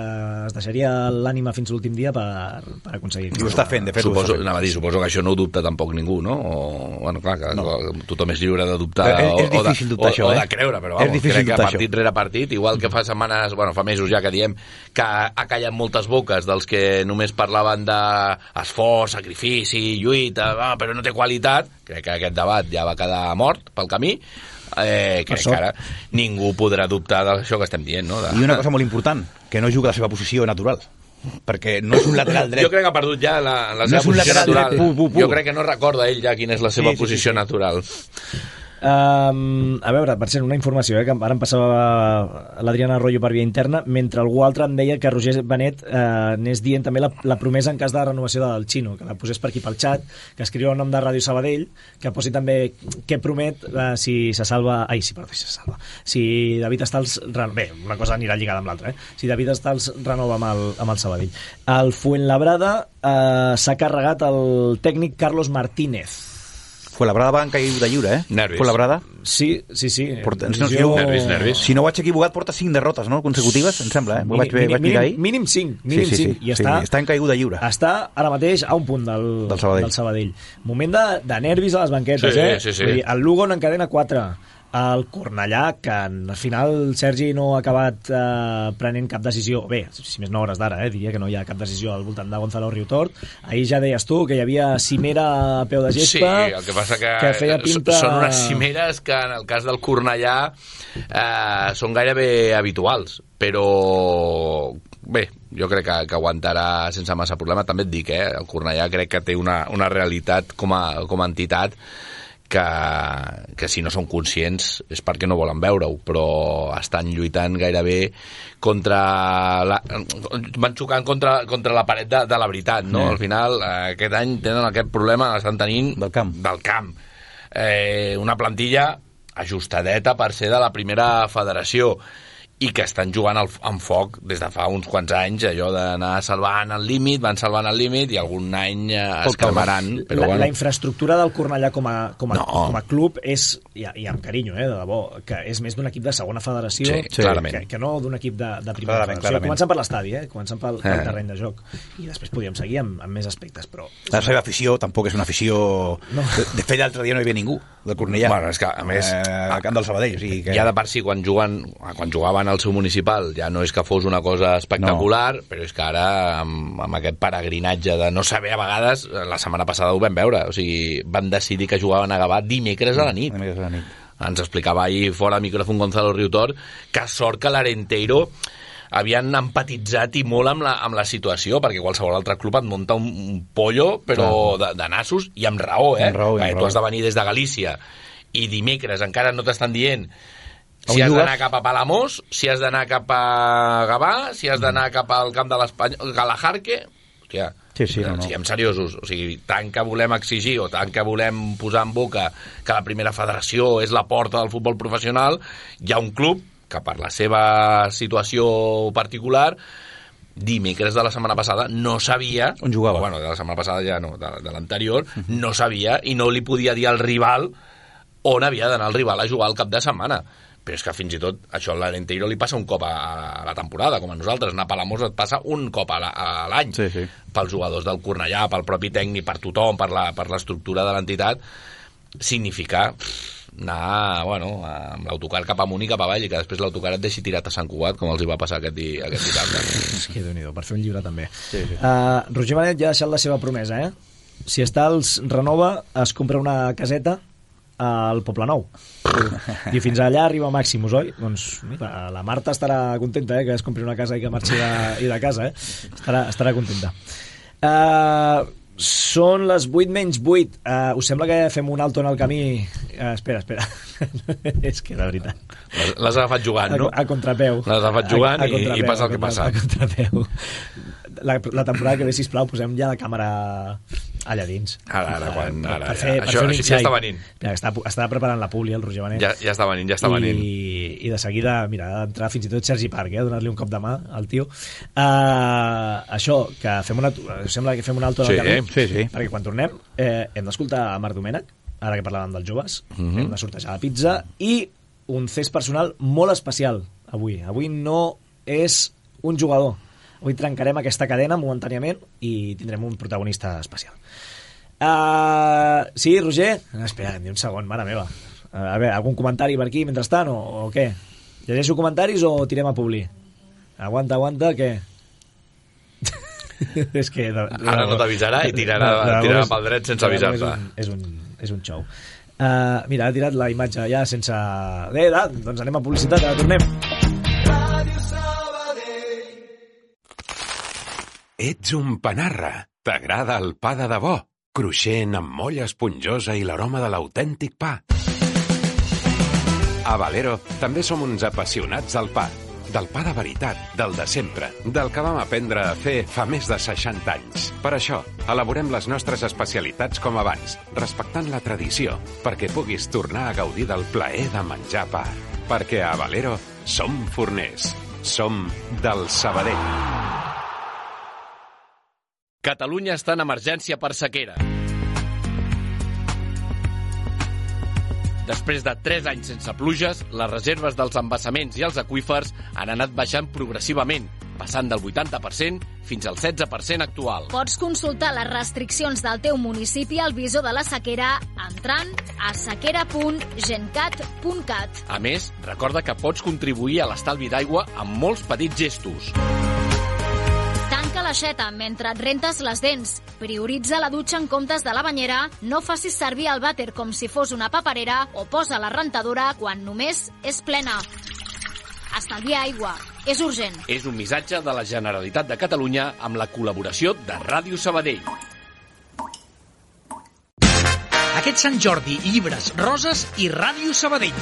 Speaker 2: es deixaria l'ànima fins a l'últim dia per, per aconseguir-ho.
Speaker 4: I ho està fent, de fet.
Speaker 3: Suposo, anava a dir, suposo que això no ho dubta tampoc ningú, no? O, bueno, clar, que no. Tothom és lliure de dubtar
Speaker 4: és, és
Speaker 3: o, o, de,
Speaker 4: dubtar,
Speaker 3: o,
Speaker 4: això,
Speaker 3: o
Speaker 4: eh?
Speaker 3: de creure, però vamos, crec que partit
Speaker 4: això.
Speaker 3: rere partit, igual que fa setmanes, bueno, fa mesos ja que diem que ha callat moltes boques dels que només parlaven d'esforç, sacrifici, lluita, ah, però no té qualitat, crec que aquest debat ja va quedar mort pel camí. Eh, crec que ara ningú podrà dubtar d'això que estem dient, no? De...
Speaker 4: I una cosa molt important, que no juga la seva posició natural, perquè no és un lateral dret.
Speaker 3: Jo crec que ha perdut ja la, la
Speaker 4: no
Speaker 3: seva posició natural.
Speaker 4: Pu, pu, pu.
Speaker 3: Jo crec que no recorda ell ja quina és la seva sí, posició sí, sí. natural.
Speaker 2: Um, a veure, per cert, una informació, eh, que ara em passava l'Adriana Arroyo per via interna, mentre algú altre em deia que Roger Benet eh, anés dient també la, la promesa en cas de renovació del Xino, que la posés per aquí pel xat, que escriu el nom de Ràdio Sabadell, que posi també què promet eh, si se salva... Ai, sí, perdó, si se salva. Si David Estals... Bé, una cosa anirà lligada amb l'altra, eh? Si David Estals renova amb el, amb el Sabadell. El Fuenlabrada eh, s'ha carregat el tècnic Carlos Martínez.
Speaker 4: Fuenlabrada va en caiguda lliure, eh?
Speaker 3: Nervis.
Speaker 4: Fuenlabrada.
Speaker 2: Sí, sí, sí.
Speaker 4: Porta, no, jo...
Speaker 3: Nervis, nervis.
Speaker 4: Si no vaig equivocat, porta cinc derrotes, no? Consecutives, em sembla, eh? Mínim, vaig, mínim, vaig mirar ahir.
Speaker 2: Mínim cinc, mínim
Speaker 4: sí, sí,
Speaker 2: cinc.
Speaker 4: Sí,
Speaker 2: I
Speaker 4: sí,
Speaker 2: està,
Speaker 4: està en caiguda lliure.
Speaker 2: Està ara mateix a un punt del,
Speaker 4: del, Sabadell.
Speaker 2: del Sabadell. Moment de, de nervis a les banquetes,
Speaker 3: sí,
Speaker 2: eh?
Speaker 3: Sí, sí.
Speaker 2: Vull dir, el Lugo n'encadena quatre. El Cornellà, que al final Sergi no ha acabat eh, prenent cap decisió, bé, si més no hores d'ara, eh, diria que no hi ha cap decisió al voltant de Gonzalo Riutort. Ahir ja deies tu que hi havia cimera a peu de gespa,
Speaker 3: sí, el que passa que,
Speaker 2: que feia pinta...
Speaker 3: són unes cimeres que en el cas del Cornellà eh, són gairebé habituals, però bé, jo crec que, que aguantarà sense massa problema. També et dic, eh, el Cornellà crec que té una, una realitat com a, com a entitat que, que si no són conscients és perquè no volen veure-ho, però estan lluitant gairebé contra la, van xocant contra, contra la paret de, de la veritat, no? Mm. Al final, eh, aquest any tenen aquest problema, l'estan tenint
Speaker 4: del camp,
Speaker 3: del camp. Eh, una plantilla ajustadeta per ser de la primera federació i que estan jugant al, amb foc des de fa uns quants anys, allò d'anar salvant el límit, van salvant el límit i algun any eh, es calmaran. Però
Speaker 2: la,
Speaker 3: bueno.
Speaker 2: la infraestructura del Cornellà com a, com a,
Speaker 3: no.
Speaker 2: com a club és, i, i amb carinyo, eh, de debò, que és més d'un equip de segona federació
Speaker 3: sí, sí.
Speaker 2: que, que no d'un equip de, de primera
Speaker 4: clarament,
Speaker 2: federació.
Speaker 4: clarament.
Speaker 2: Començant per l'estadi, eh, començant pel, pel terreny de joc. I després podríem seguir amb, amb més aspectes. Però
Speaker 4: la seva afició tampoc és una afició... No. De, de fet, l'altre dia no hi havia ningú del Cornellà.
Speaker 3: Bueno, és que, a més...
Speaker 4: Eh, al camp del Sabadell. O sigui que...
Speaker 3: Ja de per si, quan, juguen, quan jugaven al seu municipal, ja no és que fos una cosa espectacular, no. Però és que ara, amb, amb aquest peregrinatge de no saber a vegades, la setmana passada ho vam veure, o sigui, van decidir que jugaven a Gavà dimecres a la nit.
Speaker 4: Dimecres a la nit.
Speaker 3: Ens explicava ahir fora de micròfon Gonzalo Riutort que sort que l'Arenteiro havien empatitzat i molt amb la, amb la situació, perquè qualsevol altre club et munta un, un pollo, però de, de nassos, i amb raó, eh?
Speaker 4: Amb raó, amb
Speaker 3: perquè
Speaker 4: raó.
Speaker 3: tu has de venir des de Galícia i dimecres encara no t'estan dient si has d'anar cap a Palamós, si has d'anar cap a Gavà, si has d'anar cap al camp de l'Espanyol, Galajarque. Hòstia,
Speaker 4: sí, sí, no, no.
Speaker 3: siguem seriosos. O sigui, tant que volem exigir o tant que volem posar en boca que la primera federació és la porta del futbol professional, hi ha un club que per la seva situació particular dimecres de la setmana passada no sabia
Speaker 4: on jugava,
Speaker 3: bueno, de la setmana passada ja no, de, de l'anterior, uh-huh. no sabia i no li podia dir al rival on havia d'anar el rival a jugar al cap de setmana. Però és que fins i tot això a l'Arenteiro li passa un cop a, a la temporada, com a nosaltres. Anar a Palamós et passa un cop a, la, a l'any.
Speaker 4: Sí, sí.
Speaker 3: Pels jugadors del Cornellà, pel propi tècnic, per tothom, per la, per l'estructura de l'entitat, significa anar, bueno, amb l'autocar cap amunt i cap avall, i que després l'autocar et deixi tirat a Sant Cugat, com els hi va passar aquest, di, aquest dissabte.
Speaker 2: És que Déu-n'hi-do, per fer un llibre també.
Speaker 4: Sí, sí.
Speaker 2: Uh, Roger Benet ja ha deixat la seva promesa, eh? Si Estals renova, es compra una caseta al Poble Nou. I fins allà arriba Màximus, oi? Doncs mira, la Marta estarà contenta, eh, que es compri una casa i que marxi de, i de casa, eh? Estarà, estarà contenta. Uh, són les vuit menys vuit. Uh, us sembla que fem un alto en el camí? Uh, espera, espera. És que, la veritat...
Speaker 3: Les, les has agafat jugant, no?
Speaker 2: A, a contrapeu.
Speaker 3: Les has agafat jugant a, a i, i passa el que passa.
Speaker 2: A contrapeu. La, la temporada que ve, sisplau, posem ja la càmera allà dins.
Speaker 3: Ara, ara, quan... Ara,
Speaker 2: per fer,
Speaker 3: ja.
Speaker 2: per
Speaker 3: Això,
Speaker 2: fer un
Speaker 3: això ja
Speaker 2: insight.
Speaker 3: està venint.
Speaker 2: Mira, està, està preparant la Puli, el Roger Benet.
Speaker 3: Ja, ja està venint, ja està venint.
Speaker 2: I, i de seguida, mira, ha d'entrar fins i tot Sergi Parc, eh, a donar-li un cop de mà al tio. Uh, això, que fem una... Sembla que fem un alto
Speaker 3: sí,
Speaker 2: del camí,
Speaker 4: sí, sí.
Speaker 2: perquè quan tornem eh, hem d'escoltar Marc Domènech, ara que parlàvem dels joves,
Speaker 3: Mhm.
Speaker 2: hem de sortejar la pizza, i un cés personal molt especial avui. Avui no és un jugador. Avui trencarem aquesta cadena momentàniament i tindrem un protagonista especial. Uh, sí, Roger? Espera, un segon, mare meva. A veure, algun comentari per aquí mentrestant o, o què? Llegeixo comentaris o tirem a Publi? Aguanta, aguanta, què? És que... De, de,
Speaker 3: Ara no t'avisarà i tirarà,
Speaker 2: de- de-
Speaker 3: tirarà
Speaker 2: és-
Speaker 3: pel dret sense
Speaker 2: de- és
Speaker 3: avisar-te.
Speaker 2: un- És un, és un show. Uh, mira, ha tirat la imatge ja sense... Eh, da, doncs anem a publicitat, ara tornem.
Speaker 5: Ets un panarra. T'agrada el pa de debò, cruixent amb molla esponjosa i l'aroma de l'autèntic pa. A Valero també som uns apassionats del pa. Del pa de veritat, del de sempre, del que vam aprendre a fer fa més de seixanta anys. Per això, elaborem les nostres especialitats com abans, respectant la tradició, perquè puguis tornar a gaudir del plaer de menjar pa. Perquè a Valero som forners. Som del Sabadell.
Speaker 3: Catalunya està en emergència per sequera. Després de tres anys sense pluges, les reserves dels embassaments i els aqüífers han anat baixant progressivament, passant del vuitanta per cent fins al setze per cent actual.
Speaker 6: Pots consultar les restriccions del teu municipi al visor de la sequera entrant a sequera punt gencat punt cat.
Speaker 3: A més, recorda que pots contribuir a l'estalvi d'aigua amb molts petits gestos.
Speaker 6: Tanca l'aixeta mentre et rentes les dents. Prioritza la dutxa en comptes de la banyera. No facis servir el vàter com si fos una paperera o posa la rentadora quan només és plena. Estalvia aigua. És urgent.
Speaker 3: És un missatge de la Generalitat de Catalunya amb la col·laboració de Ràdio Sabadell.
Speaker 7: Aquest Sant Jordi, llibres, roses i Ràdio Sabadell.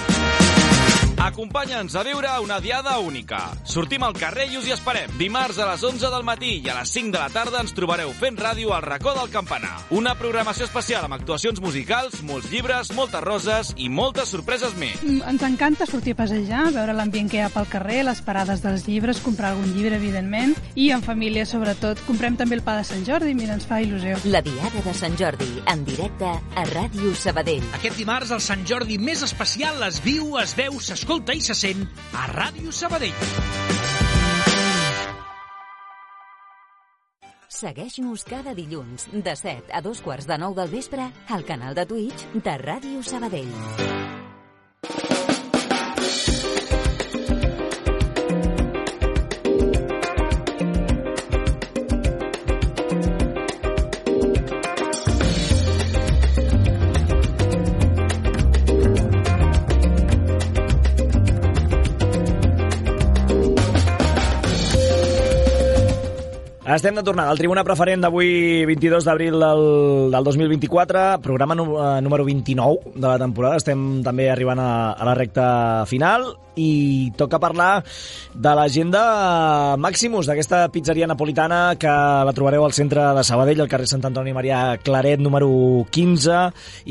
Speaker 8: Acompanya'ns a viure una diada única. Sortim al carrer i us hi esperem. Dimarts a les onze del matí i a les cinc de la tarda ens trobareu fent ràdio al racó del Campanar. Una programació especial amb actuacions musicals, molts llibres, moltes roses i moltes sorpreses més.
Speaker 9: Mm, Ens encanta sortir a passejar, veure l'ambient que hi ha pel carrer, les parades dels llibres, comprar algun llibre, evidentment, i en família, sobretot. Comprem també el pa de Sant Jordi, mira, ens fa il·lusió.
Speaker 1: La Diada de Sant Jordi, en directe a Ràdio Sabadell.
Speaker 7: Aquest dimarts, el Sant Jordi més especial es viu, es veu, s'escolta i se sent a Ràdio Sabadell.
Speaker 1: Segueix-nos cada dilluns de set a dos quarts de nou del vespre al canal de Twitch de Ràdio Sabadell.
Speaker 2: Estem de tornada al Tribuna Preferent d'avui, vint-i-dos d'abril del, del dos mil vint-i-quatre, programa número vint-i-nou de la temporada. Estem també arribant a, a la recta final i toca parlar de l'agenda Maximus, d'aquesta pizzeria napolitana que la trobareu al centre de Sabadell, al carrer Sant Antoni Maria Claret, número quinze,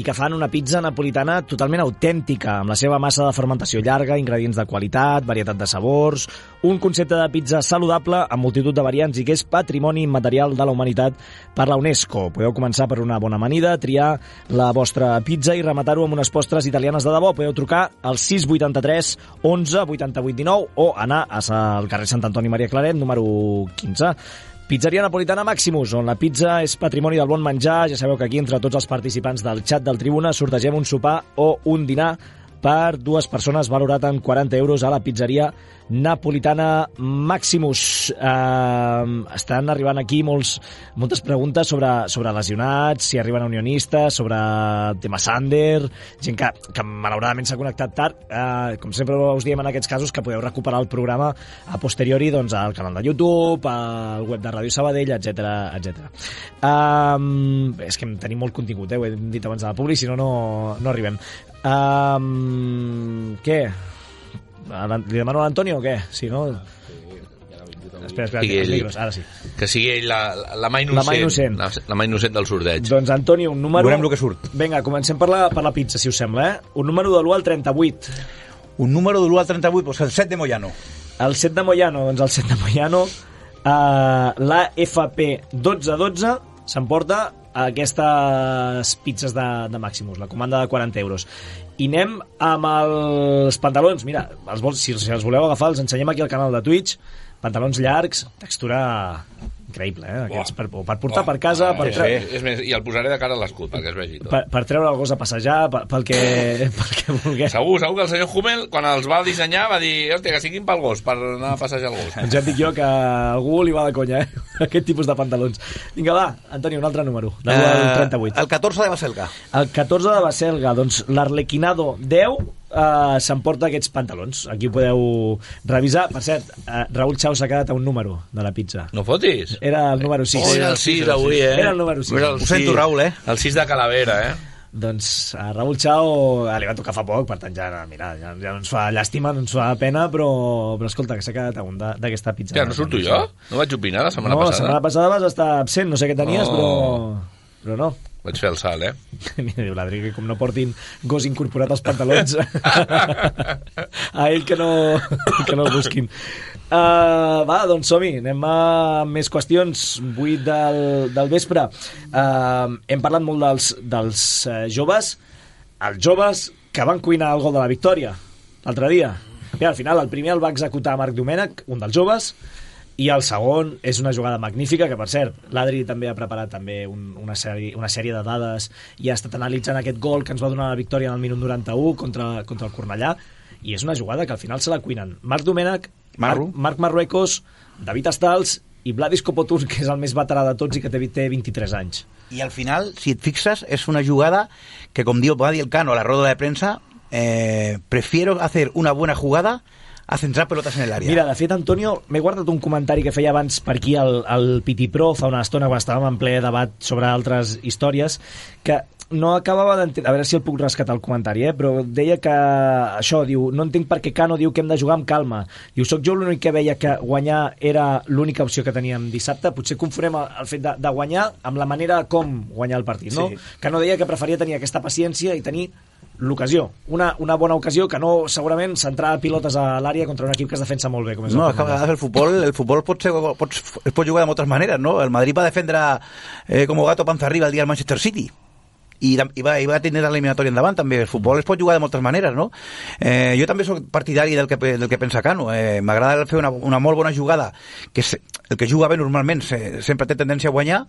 Speaker 2: i que fan una pizza napolitana totalment autèntica, amb la seva massa de fermentació llarga, ingredients de qualitat, varietat de sabors, un concepte de pizza saludable amb multitud de variants i que és patrimoni immaterial de la humanitat per la UNESCO. Podeu començar per una bona amanida, triar la vostra pizza i rematar-ho amb unes postres italianes de debò. Podeu trucar al sis vuitanta-tres onze vuitanta-vuit dinou o anar al carrer Sant Antoni Maria Claret, número quinze. Pizzeria napolitana Maximus, on la pizza és patrimoni del bon menjar. Ja sabeu que aquí, entre tots els participants del xat del Tribuna, sortegem un sopar o un dinar per dues persones valorat en quaranta euros a la pizzeria napolitana Maximus. Eh, estan arribant aquí molts, moltes preguntes sobre, sobre lesionats, si arriben unionistes, sobre el tema Sander, gent que, que malauradament s'ha connectat tard. Eh, com sempre us diem en aquests casos que podeu recuperar el programa a posteriori doncs, al canal de YouTube, al web de Ràdio Sabadell, etcètera etcètera. Eh, és que tenim molt contingut, eh? Ho he dit abans de la publi, si no, no, no arribem. Um, què? Li demano a l'Antonio o què? Si no... Espera, espera,
Speaker 3: sigui
Speaker 2: els
Speaker 3: ell,
Speaker 2: micros, ara sí.
Speaker 3: que sigui ell la, la mà innocent,
Speaker 2: La mà innocent.
Speaker 3: La, la mà innocent del sorteig.
Speaker 2: Doncs, Antoni, un número...
Speaker 4: Veurem el que surt.
Speaker 2: Vinga, comencem per la, per la pizza, si us sembla, eh? Un número de l'u al trenta-vuit.
Speaker 4: Un número de l'u al trenta-vuit, doncs el set de Moyano.
Speaker 2: El set de Moyano, doncs el set de Moyano, uh, l'A F P dotze dotze s'emporta aquestes pizzas de, de Maximus, la comanda de quaranta euros. I anem amb els pantalons. Mira, els vols, si, si els voleu agafar, els ensenyem aquí al canal de Twitch. Pantalons llargs, textura increïble, eh? Aquests, per, per portar oh, per casa... Per
Speaker 3: tre... sí. És més, i el posaré de cara a l'escut, perquè es vegi tot.
Speaker 2: Per, per treure el gos a passejar, pel, pel, que, pel que vulgueu.
Speaker 3: Segur, segur que el senyor Hummel, quan els va dissenyar, va dir, hòstia, que siguin pel gos, per anar a passejar el gos.
Speaker 2: Ja et dic jo que a algú li va de conya, eh? Aquest tipus de pantalons. Vinga, va, Antoni, un altre número, de l'u al trenta-vuit.
Speaker 4: El catorze de Baselga.
Speaker 2: El catorze de Baselga, doncs l'Arlequinado deu Uh, s'emporta aquests pantalons. Aquí ho podeu revisar. Per cert, uh, Raül Chau s'ha quedat a un número de la pizza.
Speaker 3: No fotis?
Speaker 2: Era el número sis.
Speaker 3: Oh, era el sis avui, eh?
Speaker 2: Era el número sis.
Speaker 3: Ho
Speaker 4: sento, Raül, eh?
Speaker 3: El sis de Calavera, eh?
Speaker 2: Doncs a Raül Chau ah, li va tocar fa poc, per tant ja, mira, ja, ja no ens fa llàstima, no ens fa pena, però, però escolta, que s'ha quedat a un d'aquesta pizza.
Speaker 3: Ja, no surto jo? No vaig opinar la setmana
Speaker 2: no,
Speaker 3: passada?
Speaker 2: No, la setmana passada vas estar absent, no sé què tenies, oh. però... però no.
Speaker 3: Vaig fer el salt, eh?
Speaker 2: Mira, diu l'Adri que com no portin gos incorporat als pantalons a ell que no, que no el busquin. Uh, va, doncs som-hi, anem a més qüestions. vuit del, del vespre. Uh, hem parlat molt dels, dels uh, joves, els joves que van cuinar el gol de la victòria l'altre dia. Mira, al final el primer el va executar Marc Domènech, un dels joves, i el segon és una jugada magnífica, que per cert, l'Adri també ha preparat també un, una, sèrie, una sèrie de dades i ha estat analitzant aquest gol que ens va donar la victòria en el minut noranta-u contra, contra el Cornellà, i és una jugada que al final se la cuinen Marc Domènech, Marc, Marc Marruecos, David Astals i Vladis Kopotur, que és el més veterà de tots i que té, té vint-i-tres anys.
Speaker 4: I al final, si et fixes, és una jugada que, com diu, va dir el Cano a la roda de premsa, eh, prefiero hacer una buena jugada a centrar pelotes en l'àrea.
Speaker 2: Mira, de fet, Antonio, m'he guardat un comentari que feia abans per aquí el, el Piti Pro fa una estona, quan estàvem en ple debat sobre altres històries, que no acabava d'entendre, a veure si el puc rescatar el comentari, eh? Però deia que això, diu, no entenc per què Cano diu que hem de jugar amb calma. Diu, soc jo l'únic que veia que guanyar era l'única opció que teníem dissabte. Potser confonem el, el fet de, de guanyar amb la manera com guanyar el partit, no? Sí. Cano deia que preferia tenir aquesta paciència i tenir l'ocasió, una, una bona ocasió que no, segurament, centrar pilotes a l'àrea contra un equip que es defensa molt bé, com és
Speaker 4: no,
Speaker 2: el
Speaker 4: que a vegades el futbol, el futbol pot ser, pot, es pot jugar de moltes maneres, no? El Madrid va defendre eh, com gato panza arriba el dia del Manchester City i, i, va, i va tenir l'eliminatòria endavant també. El futbol es pot jugar de moltes maneres, no? Eh, jo també soc partidari del que, del que pensa Cano. Eh, m'agrada fer una, una molt bona jugada, que és, el que juga bé normalment se, sempre té tendència a guanyar,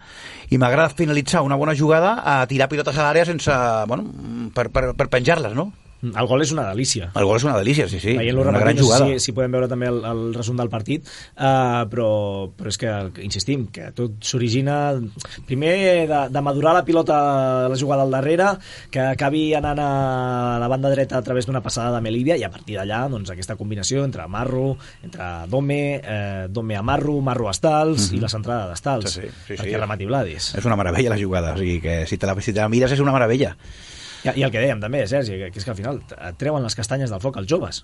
Speaker 4: i m'agrada finalitzar una bona jugada a tirar pilotes a l'àrea sense, bueno, per, per, per penjar-les, no?
Speaker 2: El gol és una delícia.
Speaker 4: El gol és una delícia, sí, sí.
Speaker 2: Veient-lo
Speaker 4: una gran
Speaker 2: no
Speaker 4: jugada.
Speaker 2: sé si, si podem veure també el, el resum del partit, uh, però, però és que, insistim, que tot s'origina primer de, de madurar la pilota, la jugada al darrere, que acabi anant a la banda dreta a través d'una passada de Melívia, i a partir d'allà, doncs, aquesta combinació entre Marro, entre Dome, eh, Dome a Marro, Marro a Astals, mm-hmm. i la centrada d'Astals,
Speaker 4: sí, sí, sí,
Speaker 2: perquè
Speaker 4: sí.
Speaker 2: remati Vladis.
Speaker 4: És una meravella la jugada, o sigui que si te la, si te la mires és una meravella.
Speaker 2: I, I el que dèiem també, Sergi, que és que al final et treuen les castanyes del foc els joves.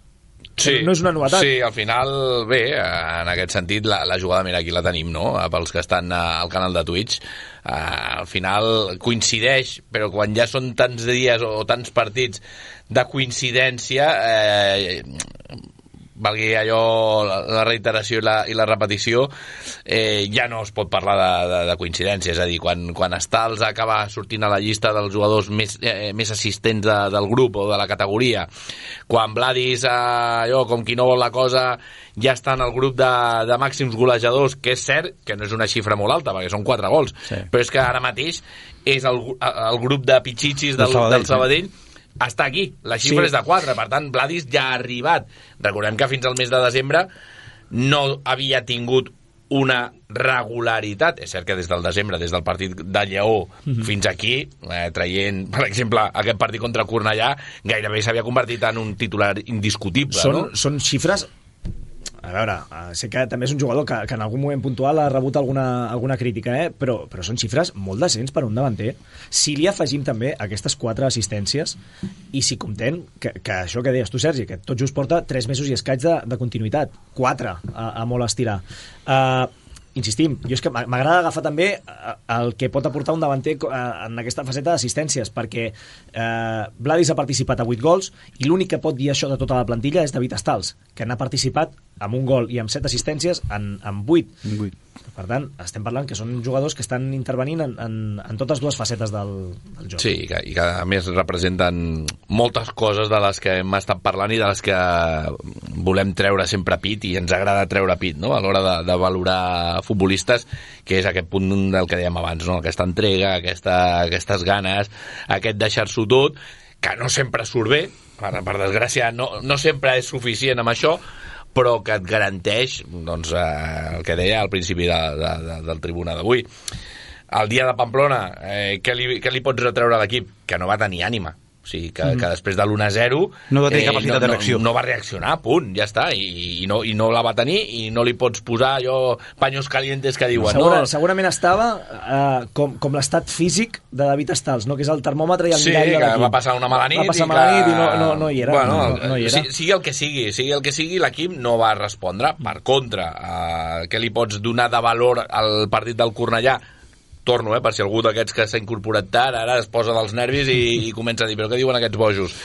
Speaker 3: Sí,
Speaker 2: no és una novetat.
Speaker 3: Sí, al final, bé, en aquest sentit, la, la jugada, mira, aquí la tenim, no?, pels que estan al canal de Twitch. Uh, al final coincideix, però quan ja són tants dies o tants partits de coincidència, eh, valgui allò, la reiteració i la, i la repetició, eh, ja no es pot parlar de, de, de coincidència. És a dir, quan, quan Astals acaba sortint a la llista dels jugadors més, eh, més assistents de, del grup o de la categoria, quan Vladis, eh, allò, com qui no vol la cosa, ja està en el grup de, de màxims golejadors, que és cert que no és una xifra molt alta, perquè són quatre gols, sí. Però és que ara mateix és el, el grup de pitxitxis del, del Sabadell, del Sabadell sí. Està aquí, la xifra sí. És de quatre, per tant Vladis ja ha arribat. Recordem que fins al mes de desembre no havia tingut una regularitat. És cert que des del desembre, des del partit de Lleó mm-hmm. fins aquí, eh, traient, per exemple, aquest partit contra Cornellà, gairebé s'havia convertit en un titular indiscutible.
Speaker 2: Són,
Speaker 3: no?
Speaker 2: són xifres a veure, sé que també és un jugador que, que en algun moment puntual ha rebut alguna, alguna crítica, eh? però, però són xifres molt decents per un davanter. Si li afegim també aquestes quatre assistències i si comptem que, que això que deies tu, Sergi, que tot just porta tres mesos i escaig de, de continuïtat, quatre a, a molt estirar. Uh, insistim, jo és que m'agrada agafar també el que pot aportar un davanter en aquesta faceta d'assistències, perquè eh, Vladis ha participat a vuit gols i l'únic que pot dir això de tota la plantilla és David Stals, que n'ha participat amb un gol i amb set assistències en, en vuit.
Speaker 4: vuit.
Speaker 2: Per tant, estem parlant que són jugadors que estan intervenint en, en, en totes dues facetes del, del joc.
Speaker 3: Sí, i que, i que a més representen moltes coses de les que hem estat parlant i de les que volem treure sempre pit, i ens agrada treure pit, no?, a l'hora de, de valorar futbolistes, que és aquest punt del que dèiem abans, no?, aquesta entrega, aquesta, aquestes ganes, aquest deixar-s'ho tot, que no sempre surt bé, per, per desgràcia no, no sempre és suficient amb això, però que et garanteix, doncs, eh, el que deia al principi de, de, de, del Tribuna d'avui. El dia de Pamplona, eh, què, li, què li pots retreure a l'equip? Que no va tenir ànima. O sigui, que, mm. que després de l'u a zero
Speaker 4: no va tenir capacitat
Speaker 3: eh, no,
Speaker 4: de reacció.
Speaker 3: No, no va reaccionar, punt, ja està, i, i, no, i no la va tenir, i no li pots posar allò paños calientes que diuen.
Speaker 2: Segura,
Speaker 3: no?
Speaker 2: Segurament estava eh, com, com l'estat físic de David Stals, no? Que és el termòmetre i el
Speaker 3: sí,
Speaker 2: mirall de l'equip.
Speaker 3: Sí, que va passar una mala nit,
Speaker 2: va passar
Speaker 3: i,
Speaker 2: mala
Speaker 3: que...
Speaker 2: nit i no, no, no hi era.
Speaker 3: Bueno,
Speaker 2: no, no hi era.
Speaker 3: Sigui el que sigui, sigui el que sigui, l'equip no va respondre. Per contra, eh, què li pots donar de valor al partit del Cornellà? Torno, eh, per si algú d'aquests que s'ha incorporat tard ara es posa dels nervis i, i comença a dir, però què diuen aquests bojos?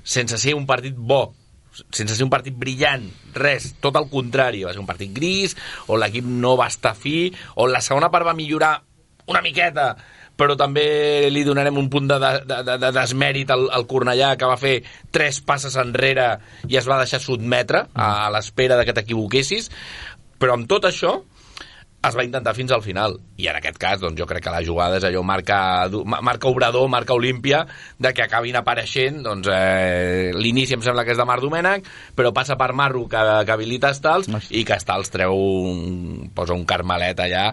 Speaker 3: Sense ser un partit bo, sense ser un partit brillant, res, tot el contrari, va ser un partit gris, on l'equip no va estar fi, on la segona part va millorar una miqueta, però també li donarem un punt de, de, de, de desmèrit al, al Cornellà, que va fer tres passes enrere i es va deixar sotmetre a l'espera de que t'equivoquessis, però amb tot això es va intentar fins al final, i en aquest cas doncs, jo crec que la jugada és allò marca, marca obrador, marca Olímpia, de que acabin apareixent, doncs eh, l'inici em sembla que és de Marc Domènech, però passa per Marro, que, que habilita Stals, i que Stals treu un, posa un carmelet allà,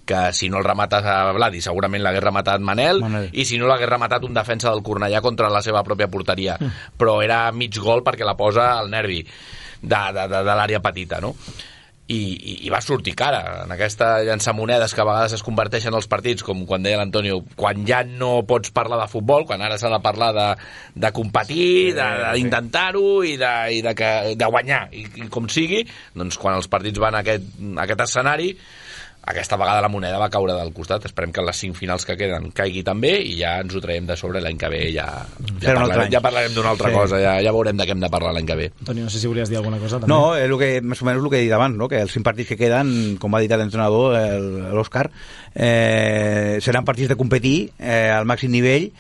Speaker 3: que si no el remata a Vladi segurament l'hagués rematat Manel, Manel, i si no l'hagués rematat un defensa del Cornellà contra la seva pròpia porteria, mm. però era mig gol perquè la posa al nervi de, de, de, de l'àrea petita, no? I, i, i va sortir cara en aquesta llançamonedes que a vegades es converteixen els partits, com quan deia l'Antonio, quan ja no pots parlar de futbol, quan ara s'ha de parlar de, de competir, d'intentar-ho i, de, i de, que, de guanyar, i, i com sigui, doncs quan els partits van a aquest, a aquest escenari, aquesta vegada la moneda va caure del costat. Esperem que en les cinc finals que queden caigui també, i ja ens ho traiem de sobre l'any que ve, ja, ja, parlarem, ja parlarem d'una altra sí. cosa, ja, ja veurem de què hem de parlar l'any que ve.
Speaker 2: Toni, no sé si volies dir alguna cosa també.
Speaker 4: No, és el que, més o menys el que he dit abans, no? Que els cinc partits que queden, com va dir l'entrenador, l'Òscar, eh, seran partits de competir eh, al màxim nivell,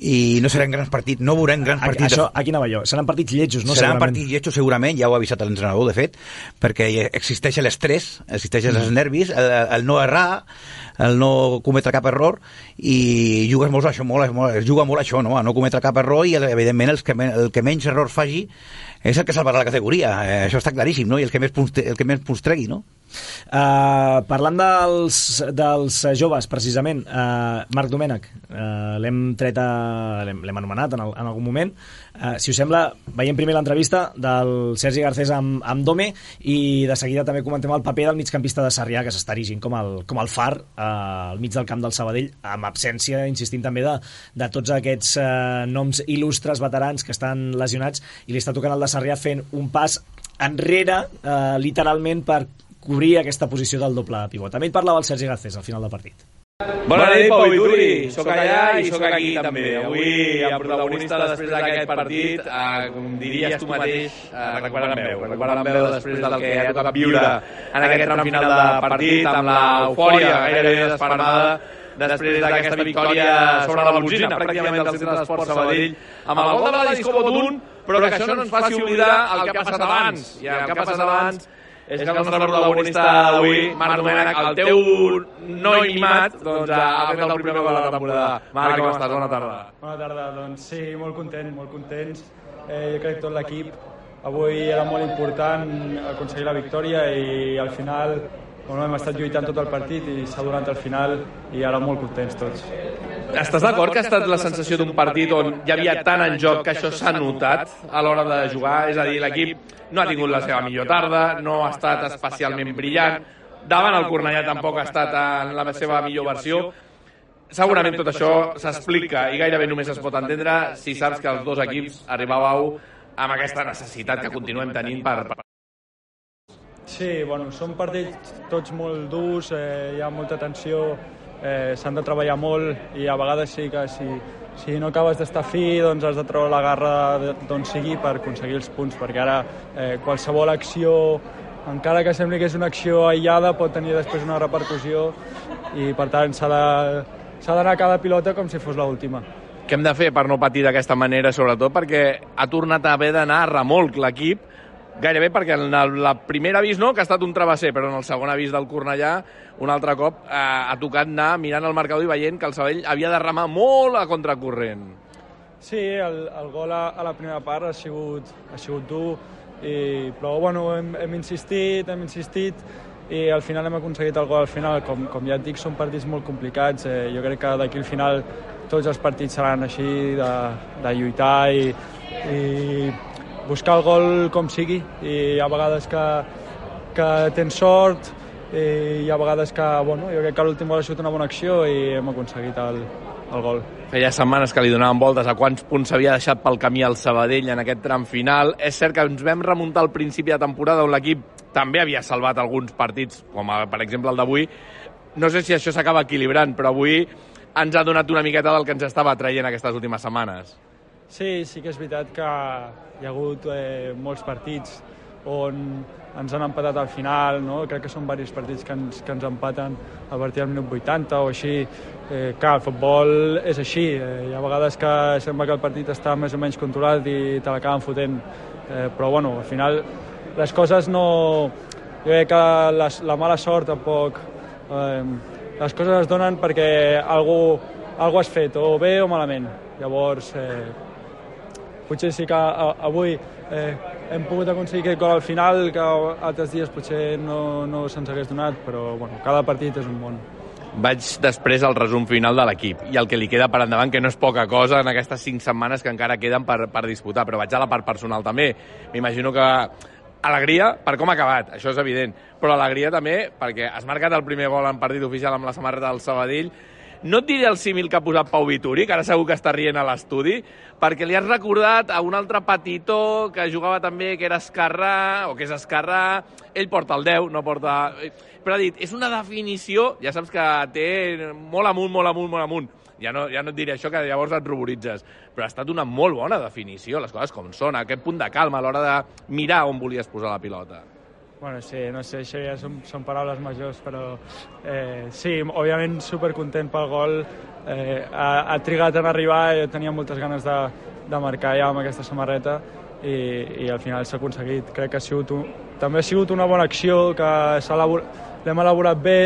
Speaker 4: i no seran grans partits, no veurem grans partits.
Speaker 2: Això, aquí anava jo, seran partits lletjos, no?
Speaker 4: Seran partits lletjos segurament, ja ho ha avisat l'entrenador, de fet, perquè existeix l'estrès, existeixen els nervis, el, el no errar, el no cometre cap error, i jugues molt això, molt, molt, es juga molt això, no? A no cometre cap error, i evidentment el que, el que menys errors faci és el que salvarà la categoria, eh, això està claríssim, no? I el que més punts, el que més punts tregui, no?
Speaker 2: Uh, parlant dels, dels joves, precisament, uh, Marc Domènech, uh, l'hem tret a, l'hem anomenat en, el, en algun moment. Uh, si us sembla, veiem primer l'entrevista del Sergi Garcés amb, amb Dome, i de seguida també comentem el paper del migcampista de Sarrià, que s'està erigint com el, com el far uh, al mig del camp del Sabadell, amb absència, insistint també, de, de tots aquests uh, noms il·lustres veterans que estan lesionats, i li està tocant el de Sarrià fent un pas enrere, uh, literalment, per cobrir aquesta posició del doble pivot. També ell parlava el Sergi Garcés al final del partit.
Speaker 10: Bona nit, Pau Vituri. Soc allà i soc aquí també. Avui el protagonista després d'aquest partit, eh, com diries tu mateix, eh, recuperant veu. Recuperant veu després del que ha tocat viure en aquest tram final de partit, amb l'eufòria gairebé desfermada després d'aquesta victòria sobre la Bolsina, pràcticament del centre d'esport Sabadell, amb el gol de Vladis Cobotun, però que això no ens faci oblidar el que ha passat abans. I el que ha passat abans és que el nostre protagonista d'avui, Marc Domènech, el teu noi mimat, doncs ha fet el primer gol de la temporada. Marc, com estàs? Bona tarda.
Speaker 11: Bona tarda, doncs sí, molt content, molt contents. Eh, jo crec que tot l'equip avui era molt important aconseguir la victòria, i al final bueno, hem estat lluitant tot el partit i s'ha donat al final i ara molt contents tots.
Speaker 10: Estàs d'acord que ha estat la sensació d'un partit on hi havia tant en joc que això s'ha notat a l'hora de jugar? És a dir, l'equip no ha tingut la seva millor tarda, no ha estat especialment brillant, davant el Cornellà tampoc ha estat en la seva millor versió. Segurament tot això s'explica i gairebé només es pot entendre si saps que els dos equips arribàveu amb aquesta necessitat que continuem tenint per...
Speaker 11: Sí, bueno, són partits tots molt durs, eh, hi ha molta tensió, eh, s'han de treballar molt i a vegades sí que si, si no acabes d'estar fi doncs has de treure la garra d'on sigui per aconseguir els punts, perquè ara eh, qualsevol acció, encara que sembli que és una acció aïllada, pot tenir després una repercussió i per tant s'ha de, s'ha d'anar a cada pilota com si fos l'última.
Speaker 10: Què hem de fer per no patir d'aquesta manera, sobretot perquè ha tornat a haver d'anar a remolc l'equip, gairebé perquè en el la primer avís no, que ha estat un travesser, però en el segon avís del Cornellà un altre cop eh, ha tocat anar mirant el marcador i veient que el Sabadell havia de remar molt a contracorrent.
Speaker 11: Sí, el, el gol a, a la primera part ha sigut, ha sigut dur, i, però bueno, hem, hem insistit, hem insistit i al final hem aconseguit el gol al final. Com, com ja et dic, són partits molt complicats, eh, jo crec que d'aquí al final tots els partits seran així, de, de lluitar i, i buscar el gol com sigui, i hi ha vegades que, que tens sort i hi ha vegades que, bueno, jo crec que l'últim gol ha sigut una bona acció i hem aconseguit el, el gol.
Speaker 10: Feia setmanes que li donaven voltes a quants punts s'havia deixat pel camí al Sabadell en aquest tram final. És cert que ens vam remuntar al principi de temporada on l'equip també havia salvat alguns partits, com per exemple el d'avui. No sé si això s'acaba equilibrant, però avui ens ha donat una miqueta del que ens estava traient aquestes últimes setmanes.
Speaker 11: Sí, sí que és veritat que hi ha hagut eh, molts partits on ens han empatat al final, no? Crec que són diversos partits que ens, que ens empaten a partir del minut vuitanta o així. Eh, clar, el futbol és així, eh, hi ha vegades que sembla que el partit està més o menys controlat i te l'acaben fotent, eh, però bueno, al final les coses no... Jo crec que la, la mala sort tampoc... Eh, les coses es donen perquè algú, algú has fet, o bé o malament. Llavors, eh, potser sí que a, avui eh, hem pogut aconseguir aquest gol al final, que altres dies potser no, no se'ns hagués donat, però bueno, cada partit és un món.
Speaker 10: Vaig després al resum final de l'equip i el que li queda per endavant, que no és poca cosa en aquestes cinc setmanes que encara queden per, per disputar, però vaig a la part personal també. M'imagino que alegria per com ha acabat, això és evident, però alegria també perquè has marcat el primer gol en partit oficial amb la samarreta del Sabadell. No et diré el símil que ha posat Pau Vituri, que ara segur que està rient a l'estudi, perquè li has recordat a un altre petitó que jugava també, que era esquerrà, o que és esquerrà, ell porta el deu, no porta... Però ha dit, és una definició, ja saps que té molt amunt, molt amunt, molt amunt. Ja no, ja no et diré això, que llavors et ruboritzes, però ha estat una molt bona definició, les coses com són, aquest punt de calma a l'hora de mirar on volies posar la pilota.
Speaker 11: Bueno, sí, no sé, això ja són, són paraules majors, però eh, sí, òbviament supercontent pel gol, eh, ha, ha trigat en arribar, jo tenia moltes ganes de, de marcar ja amb aquesta samarreta i, i al final s'ha aconseguit. Crec que ha sigut un, també ha sigut una bona acció, que l'hem elaborat bé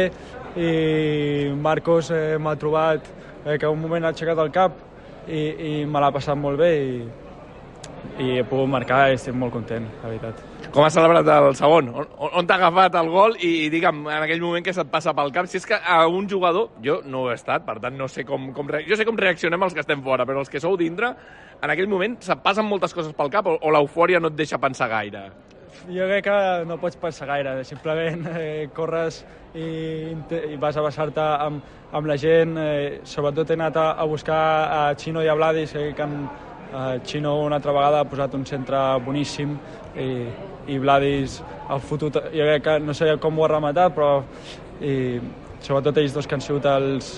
Speaker 11: i Marcos eh, m'ha trobat, eh, que un moment ha aixecat el cap i, i me l'ha passat molt bé i, i he pogut marcar i estic molt content, la veritat.
Speaker 10: Com has celebrat el segon? On, on t'ha agafat el gol i, i digue'm, en aquell moment que se't passa pel cap, si és que a un jugador, jo no ho he estat, per tant no sé com, com jo sé com reaccionem els que estem fora, però els que sou dintre, en aquell moment se't passen moltes coses pel cap o, o l'eufòria no et deixa pensar gaire?
Speaker 11: Jo crec que no pots pensar gaire, simplement eh, corres i, i vas a basar-te amb, amb la gent, eh, sobretot he anat a, a buscar a Chino i a Vladis, eh, que han, eh, Chino una altra vegada ha posat un centre boníssim i, i Vladis ha fotut, jo crec que no sé com ho ha rematat, però i, sobretot ells dos que han sigut els,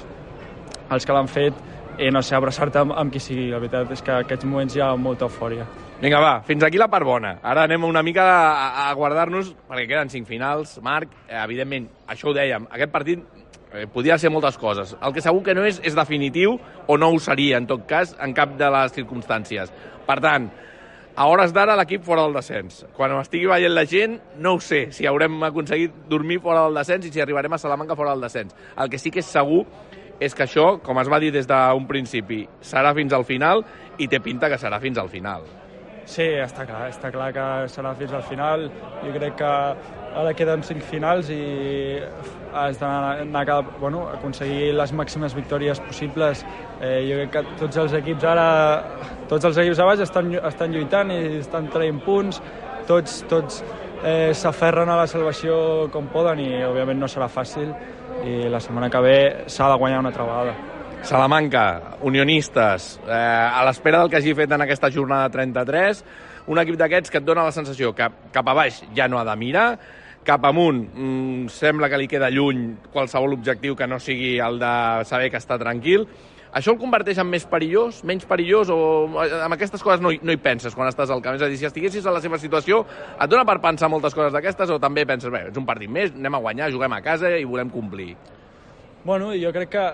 Speaker 11: els que l'han fet, i no sé, abraçar-te amb, amb qui sigui, la veritat és que en aquests moments hi ha molta eufòria.
Speaker 10: Vinga, va, fins aquí la part bona. Ara anem una mica a, a guardar-nos, perquè queden cinc finals. Marc, eh, evidentment, això ho dèiem, aquest partit eh, podia ser moltes coses. El que segur que no és, és definitiu, o no ho seria, en tot cas, en cap de les circumstàncies. Per tant, a hores d'ara l'equip fora del descens. Quan ho estigui veient la gent, no ho sé si haurem aconseguit dormir fora del descens i si arribarem a Salamanca fora del descens. El que sí que és segur és que això, com es va dir des d'un principi, serà fins al final i té pinta que serà fins al final.
Speaker 11: Sí, està clar, està clar que serà fins al final. Jo crec que ara queden cinc finals i has d'anar a bueno, aconseguir les màximes victòries possibles. Eh, jo crec que tots els equips ara, tots els equips a baix estan, estan lluitant i estan traient punts, tots, tots eh, s'aferren a la salvació com poden i òbviament no serà fàcil i la setmana que ve s'ha de guanyar una altra vegada.
Speaker 10: Salamanca, unionistes, eh, a l'espera del que hagi fet en aquesta jornada trenta-tres, un equip d'aquests que et dona la sensació que cap a baix ja no ha de mirar, cap amunt mmm, sembla que li queda lluny qualsevol objectiu que no sigui el de saber que està tranquil. Això el converteix en més perillós, menys perillós, o amb aquestes coses no hi, no hi penses quan estàs al camp? És a dir, si estiguessis a la seva situació, et dona per pensar moltes coses d'aquestes o també penses, bé, és un partit més, anem a guanyar, juguem a casa i volem complir?
Speaker 11: Bueno, jo crec que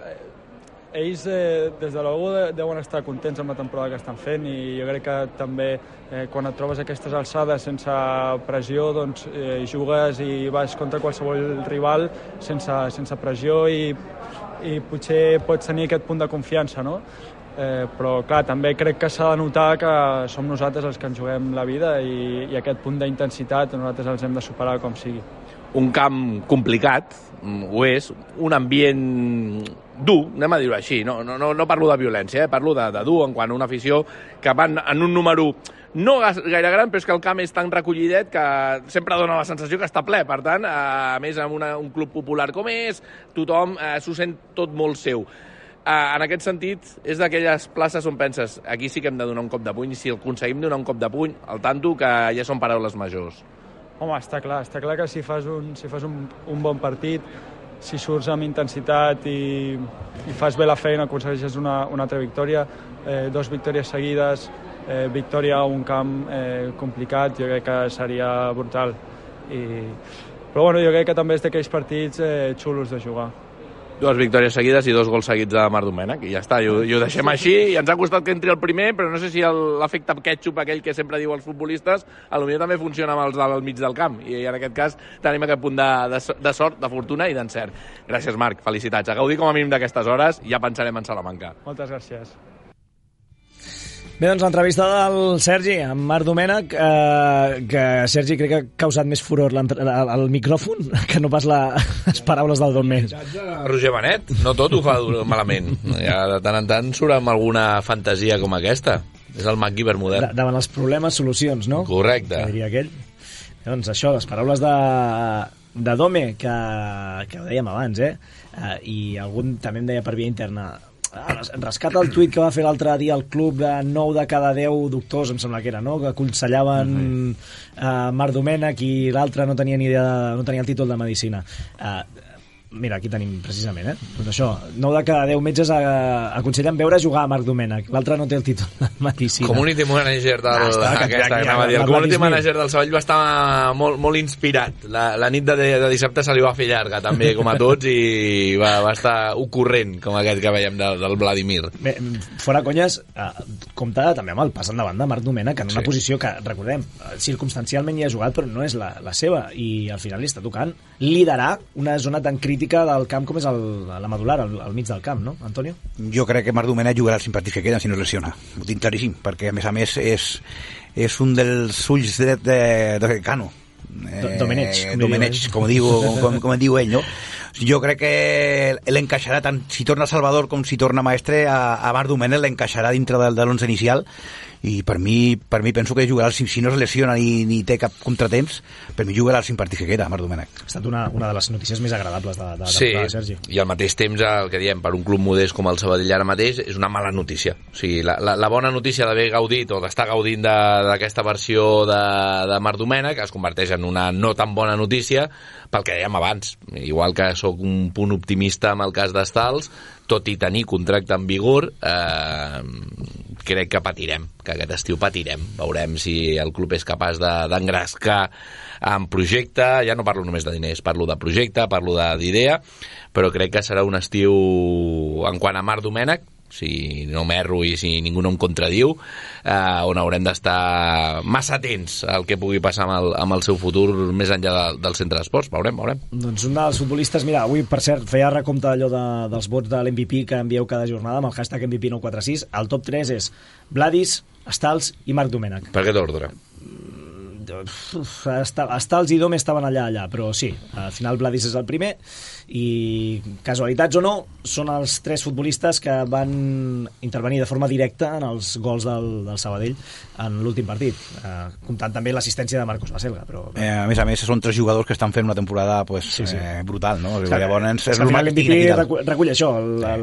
Speaker 11: ells, eh, des de l'O U, deuen estar contents amb la temporada que estan fent i jo crec que també eh, quan et trobes aquestes alçades sense pressió, doncs eh, jugues i vas contra qualsevol rival sense, sense pressió i, i potser pots tenir aquest punt de confiança, no? Eh, però clar, també crec que s'ha de notar que som nosaltres els que ens juguem la vida i, i aquest punt d'intensitat nosaltres els hem de superar com sigui.
Speaker 10: Un camp complicat, ho és, un ambient dur, anem a dir-ho així, no, no, no parlo de violència, eh? Parlo de, de dur en quant a una afició que van en un número no gaire gran, però és que el camp és tan recollidet que sempre dona la sensació que està ple, per tant, a més amb una, un club popular com és, tothom eh, s'ho sent tot molt seu. Eh, en aquest sentit, és d'aquelles places on penses, aquí sí que hem de donar un cop de puny, i si aconseguim donar un cop de puny, al tanto que ja són paraules majors.
Speaker 11: Home, està clar, està clar que si fas un, si fas un, un bon partit, si surts amb intensitat i, i fas bé la feina, aconsegueixes una, una altra victòria, eh, dos victòries seguides, eh, victòria a un camp eh, complicat, jo crec que seria brutal. I, però bueno, jo crec que també és d'aquells partits eh, xulos de jugar.
Speaker 10: Dues victòries seguides i dos gols seguits de Marc Domènech, i ja està, i ho, i ho deixem així, i ens ha costat que entri el primer, però no sé si l'efecte ketchup, aquell que sempre diu els futbolistes, potser també funciona amb els del mig del camp, i en aquest cas tenim aquest punt de, de, de sort, de fortuna i d'encert. Gràcies, Marc, felicitats. A gaudir com a mínim d'aquestes hores, ja pensarem en Salamanca.
Speaker 11: Moltes gràcies.
Speaker 2: Bé, doncs l'entrevista del Sergi amb Marc Domènech, eh, que Sergi crec que ha causat més furor el micròfon que no pas la, les paraules del Don Més.
Speaker 3: Roger Benet, no tot ho fa malament. Ja de tant en tant surt amb alguna fantasia com aquesta. És el MacGyver modern.
Speaker 2: Da, davant els problemes, solucions, no?
Speaker 3: Correcte.
Speaker 2: Que diria aquell. Doncs això, les paraules de, de Dome, que, que ho dèiem abans, eh? eh? I algun també em deia per via interna, rescata el tuit que va fer l'altre dia el club de nou de cada deu doctors, em sembla que era, no? Que aconsellaven uh, Marc Domènech i l'altre no tenia ni idea, no tenia el títol de medicina. Uh, mira, aquí tenim precisament, eh? Doncs això, nou de cada deu metges uh, aconsellen veure jugar a Marc Domènech, l'altre no té el títol de medicina.
Speaker 3: Community manager del, ah, està, aquesta, que, que, el community manager del Sabadell va estar molt, molt inspirat. La, la nit de, de dissabte se li va fer llarga també, com a tots, i va, va estar ocorrent, com aquest que veiem del, del Vladimir.
Speaker 2: Bé, fora conyes, eh, compta també amb el pas endavant de Marc Domènech en una sí. posició que, recordem, circumstancialment hi ha jugat, però no és la, la seva, i al final li està tocant liderar una zona tan crítica del camp com és el, la medular, al, al mig del camp, no, Antonio?
Speaker 4: Jo crec que Marc Domènech jugarà els cinc partits que queden si no es lesiona, ho tinc claríssim, perquè a més a més és, és un dels ulls dret de, de Cano.
Speaker 2: Eh, Domenech, com,
Speaker 4: Domenech, com, diu, com, com diu ell, no? Jo crec que l'encaixarà tant si torna Salvador com si torna Maestre, a, a Marc Domènech l'encaixarà dintre de, de l'onze inicial, i per mi, per mi penso que jugarà, si, si no es lesiona ni, ni té cap contratemps, per mi jugarà els cinc partits que queda, Marc Domènech.
Speaker 2: Ha estat una, una de les notícies més agradables de, de,
Speaker 3: sí,
Speaker 2: de Sergi.
Speaker 3: I al mateix temps, el que diem, per un club modest com el Sabadell ara mateix, és una mala notícia. O sigui, la, la, la bona notícia d'haver gaudit o d'estar gaudint d'aquesta versió de, de Marc Domènech es converteix en una no tan bona notícia pel que dèiem abans. Igual que sóc un punt optimista amb el cas d'Estals, tot i tenir contracte en vigor, eh, crec que patirem, que aquest estiu patirem. Veurem si el club és capaç d'engrescar en projecte, ja no parlo només de diners, parlo de projecte, parlo d'idea, però crec que serà un estiu, en quant a Marc Domènech, si no m'erro i si ningú no em contradiu, eh, on haurem d'estar massa atents al que pugui passar amb el, amb el seu futur més enllà de, del centre d'esports. Veurem, veurem.
Speaker 2: Doncs un dels futbolistes, mira, avui, per cert, feia recompte d'allò de, dels vots de l'M V P que envieu cada jornada amb el hashtag M V P nou quatre sis. El top tres és Vladis, Stals i Marc Domènech.
Speaker 3: Per aquest ordre?
Speaker 2: està, està els Idome estaven allà, allà, però sí, al final Vladis és el primer i, casualitats o no, són els tres futbolistes que van intervenir de forma directa en els gols del, del Sabadell en l'últim partit, eh, comptant també l'assistència de Marcos Baselga. Però...
Speaker 4: Eh, a més a més, són tres jugadors que estan fent una temporada pues, sí, sí. Eh, brutal, no?
Speaker 2: Clar,
Speaker 4: llavors, és
Speaker 2: és
Speaker 4: normal que
Speaker 2: estiguin aquí recull, recull això,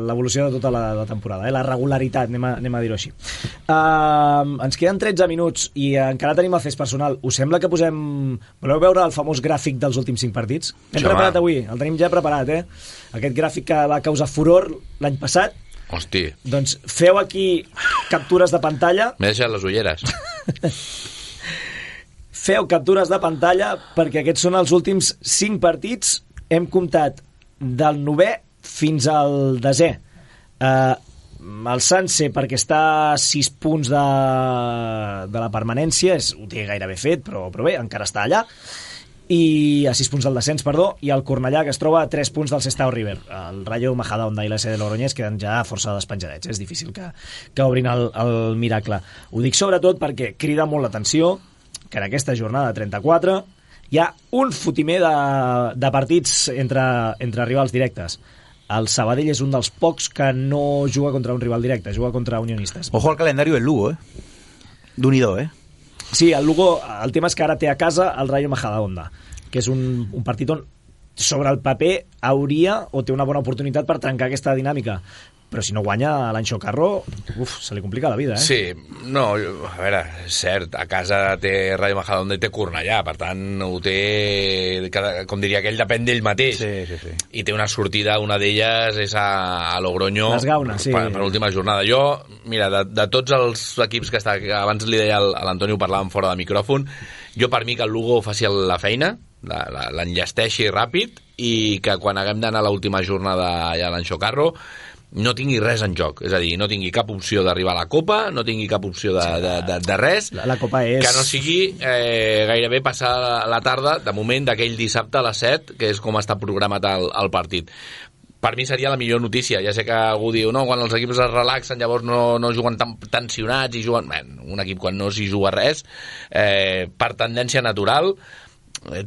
Speaker 2: l'evolució de tota la, la temporada, eh? La regularitat, anem a, anem a dir-ho així. Uh, ens queden tretze minuts i encara tenim el fes personal. Us sembla que posem... Voleu veure el famós gràfic dels últims cinc partits? Hem preparat avui, el tenim ja preparat, eh? Aquest gràfic que va causar furor l'any passat.
Speaker 3: Hosti.
Speaker 2: Doncs feu aquí captures de pantalla.
Speaker 3: M'he deixat les ulleres.
Speaker 2: Feu captures de pantalla perquè aquests són els últims cinc partits. Hem comptat del novè fins al desè. Uh, el Sanse, perquè està a sis punts de, de la permanència, és, ho té gairebé fet, però, però bé, encara està allà. I a sis punts del descens, perdó, i el Cornellà, que es troba a tres punts del Sestao River. El Rayo Majadahonda i l'S de Logroñés queden ja força despenjadets. És difícil que, que obrin el, el miracle. Ho dic sobretot perquè crida molt l'atenció que en aquesta jornada trenta-quatre hi ha un fotimer de, de partits entre, entre rivals directes. El Sabadell és un dels pocs que no juga contra un rival directe, juga contra unionistes.
Speaker 4: Ojo al calendario del Lugo, eh? D'Unido, eh?
Speaker 2: Sí, el Lugo, el tema és que ara té a casa el Rayo Majadahonda, que és un, un partit on sobre el paper hauria o té una bona oportunitat per trencar aquesta dinàmica, però si no guanya l'Anxo Carro, uf, se li complica la vida, eh?
Speaker 3: Sí, no, a veure, és cert, a casa té Rayo Majadahonda i té Cornellà, per tant ho té, com diria aquell, depèn d'ell mateix,
Speaker 4: sí, sí, sí.
Speaker 3: I té una sortida, una d'elles és a, a Logroño,
Speaker 2: les Gaunes, sí.
Speaker 3: per, per l'última jornada. Jo, mira, de, de tots els equips que està, que abans li deia a l'Antoni, ho parlàvem fora de micròfon, jo per mi que el Lugo faci la feina, l'enllesteixi ràpid, i que quan haguem d'anar a l'última jornada allà a l'Anxo Carro no tingui res en joc, és a dir, no tingui cap opció d'arribar a la Copa, no tingui cap opció de, de, de, de res,
Speaker 2: la, la Copa és...
Speaker 3: que no sigui eh, gairebé passar la tarda, de moment d'aquell dissabte a les set, que és com està programat el, el partit. Per mi seria la millor notícia. Ja sé que algú diu, no, quan els equips es relaxen llavors no, no juguen tan tensionats i juguen... Bé, un equip quan no s'hi juga res, eh, per tendència natural,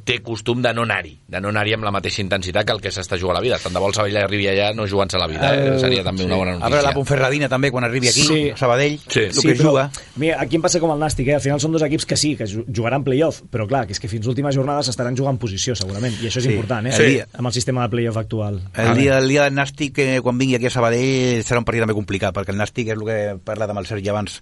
Speaker 3: té costum de no anar-hi, de no anar-hi amb la mateixa intensitat que el que s'està jugant a la vida. Tant de vol Sabadell arribi allà no jugant-se la vida, eh? Seria també sí. una bona notícia.
Speaker 4: A veure la Ponferradina també, quan arribi aquí, sí. Sabadell,
Speaker 3: sí.
Speaker 4: el
Speaker 2: sí,
Speaker 4: que
Speaker 2: però,
Speaker 4: juga.
Speaker 2: Mira, aquí em passa com el Nàstic, eh? Al final són dos equips que sí, que jugaran play-off, però clar, que és que fins l'última jornada s'estaran jugant posició, segurament, i això és sí. important, eh?
Speaker 4: Sí.
Speaker 2: Amb el sistema de play-off actual.
Speaker 4: El dia, el dia del Nàstic, eh, quan vingui aquí a Sabadell, serà un partit també complicat, perquè el Nàstic és el que he parlat amb el Sergi abans.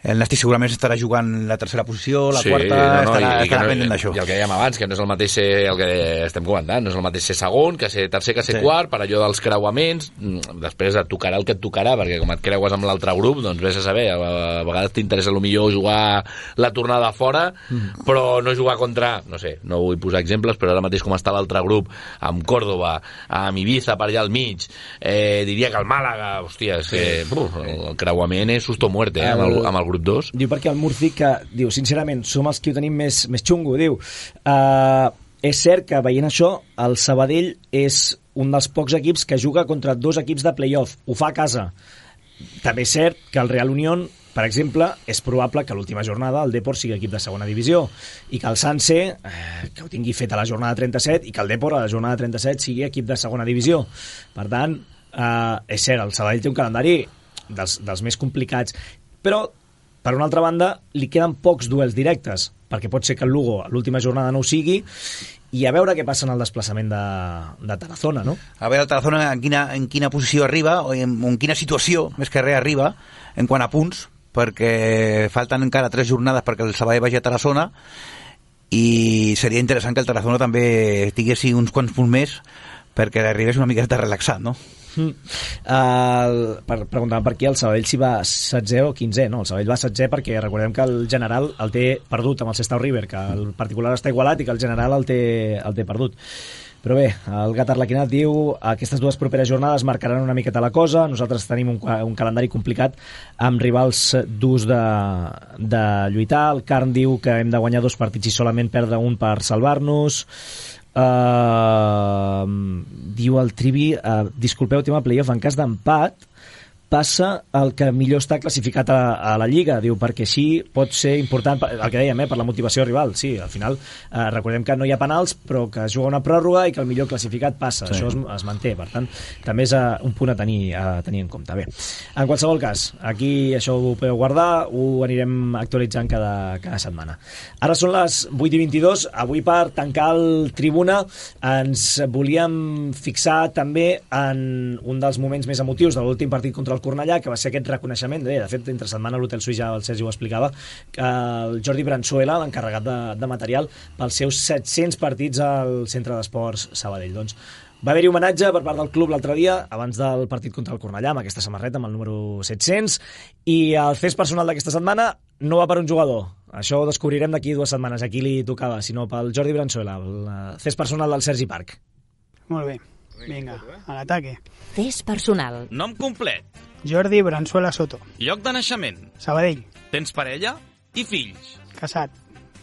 Speaker 4: El Nàstic segurament estarà jugant la tercera posició, la
Speaker 3: sí,
Speaker 4: quarta,
Speaker 3: no, no,
Speaker 4: estarà,
Speaker 3: i,
Speaker 4: estarà
Speaker 3: no,
Speaker 4: pendent d'això.
Speaker 3: I el que dèiem abans, que no és el mateix ser, el que estem comentant, no és el mateix ser segon, que ser tercer, que ser sí. quart, per allò dels creuaments, després et tocarà el que et tocarà, perquè com et creues amb l'altre grup, doncs vés a saber, a, a vegades t'interessa millor jugar la tornada fora, mm. però no jugar contra, no sé, no vull posar exemples, però ara mateix com està l'altre grup, amb Córdoba, amb Ibiza per allà al mig, eh, diria que el Màlaga, hòstia, és que, sí. uf, el creuament és susto muerte, eh, amb, el, amb el grup dos.
Speaker 2: Diu perquè el Murci, que diu, sincerament, som els que ho tenim més, més xungo, diu. Uh, és cert que, veient això, el Sabadell és un dels pocs equips que juga contra dos equips de play-off. Ho fa a casa. També és cert que el Real Unión, per exemple, és probable que a l'última jornada el Depor sigui equip de segona divisió i que el Sanse, eh, que ho tingui fet a la jornada trenta-set, i que el Depor a la jornada trenta-set sigui equip de segona divisió. Per tant, eh, és cert, el Sabadell té un calendari dels, dels més complicats, però per una altra banda, li queden pocs duels directes, perquè pot ser que el Lugo a l'última jornada no ho sigui, i a veure què passa en el desplaçament de, de Tarazona, no?
Speaker 4: A veure el Tarazona en quina, en quina posició arriba, o en, en quina situació, més que res, arriba, en quant a punts, perquè falten encara tres jornades perquè el Sabadell vagi a Tarazona, i seria interessant que el Tarazona també tinguessi uns quants punts més, perquè arribés una miqueta relaxat, no?
Speaker 2: Mm. Uh, per preguntar per qui el Sabadell si va setzè o quinzè, no, el Sabadell va setzè perquè recordem que el general el té perdut amb el Sestao River, que el particular està igualat i que el general el té, el té perdut. Però bé, el Gat Arlequinat diu aquestes dues properes jornades marcaran una miqueta la cosa, nosaltres tenim un, un calendari complicat amb rivals durs de, de lluitar. El Carn diu que hem de guanyar dos partits i solament perdre un per salvar-nos. Uh, diu el Trivi, uh, disculpeu, tema playoff, en cas d'empat passa el que millor està classificat a, a la Lliga, diu, perquè així pot ser important, el que dèiem, eh, per la motivació rival. Sí, al final eh, recordem que no hi ha penals, però que es juga una pròrroga i que el millor classificat passa. Sí. Això es, es manté, per tant, també és uh, un punt a tenir, a tenir en compte. Bé, en qualsevol cas, aquí això ho podeu guardar, ho anirem actualitzant cada, cada setmana. Ara són les vuit i vint-i-dos, avui per tancar el Tribuna ens volíem fixar també en un dels moments més emotius de l'últim partit contra el Cornellà, que va ser aquest reconeixement, bé, de fet, entre setmana l'Hotel Suís, ja el Sergi ho explicava, que el Jordi Branzuela, l'encarregat de, de material, pels seus set-cents partits al Centre d'Esports Sabadell. Doncs va haver-hi homenatge per part del club l'altre dia, abans del partit contra el Cornellà, amb aquesta samarreta, amb el número set-cents, i el fes personal d'aquesta setmana no va per un jugador. Això ho descobrirem d'aquí dues setmanes, a qui li tocava, sinó pel Jordi Branzuela, el fes personal del Sergi Parc.
Speaker 12: Molt bé. Vinga, a l'ataque.
Speaker 1: Fes personal.
Speaker 8: Nom complet.
Speaker 12: Jordi Branzuela Soto.
Speaker 8: Lloc de naixement.
Speaker 12: Sabadell.
Speaker 8: Tens parella i fills.
Speaker 12: Casat.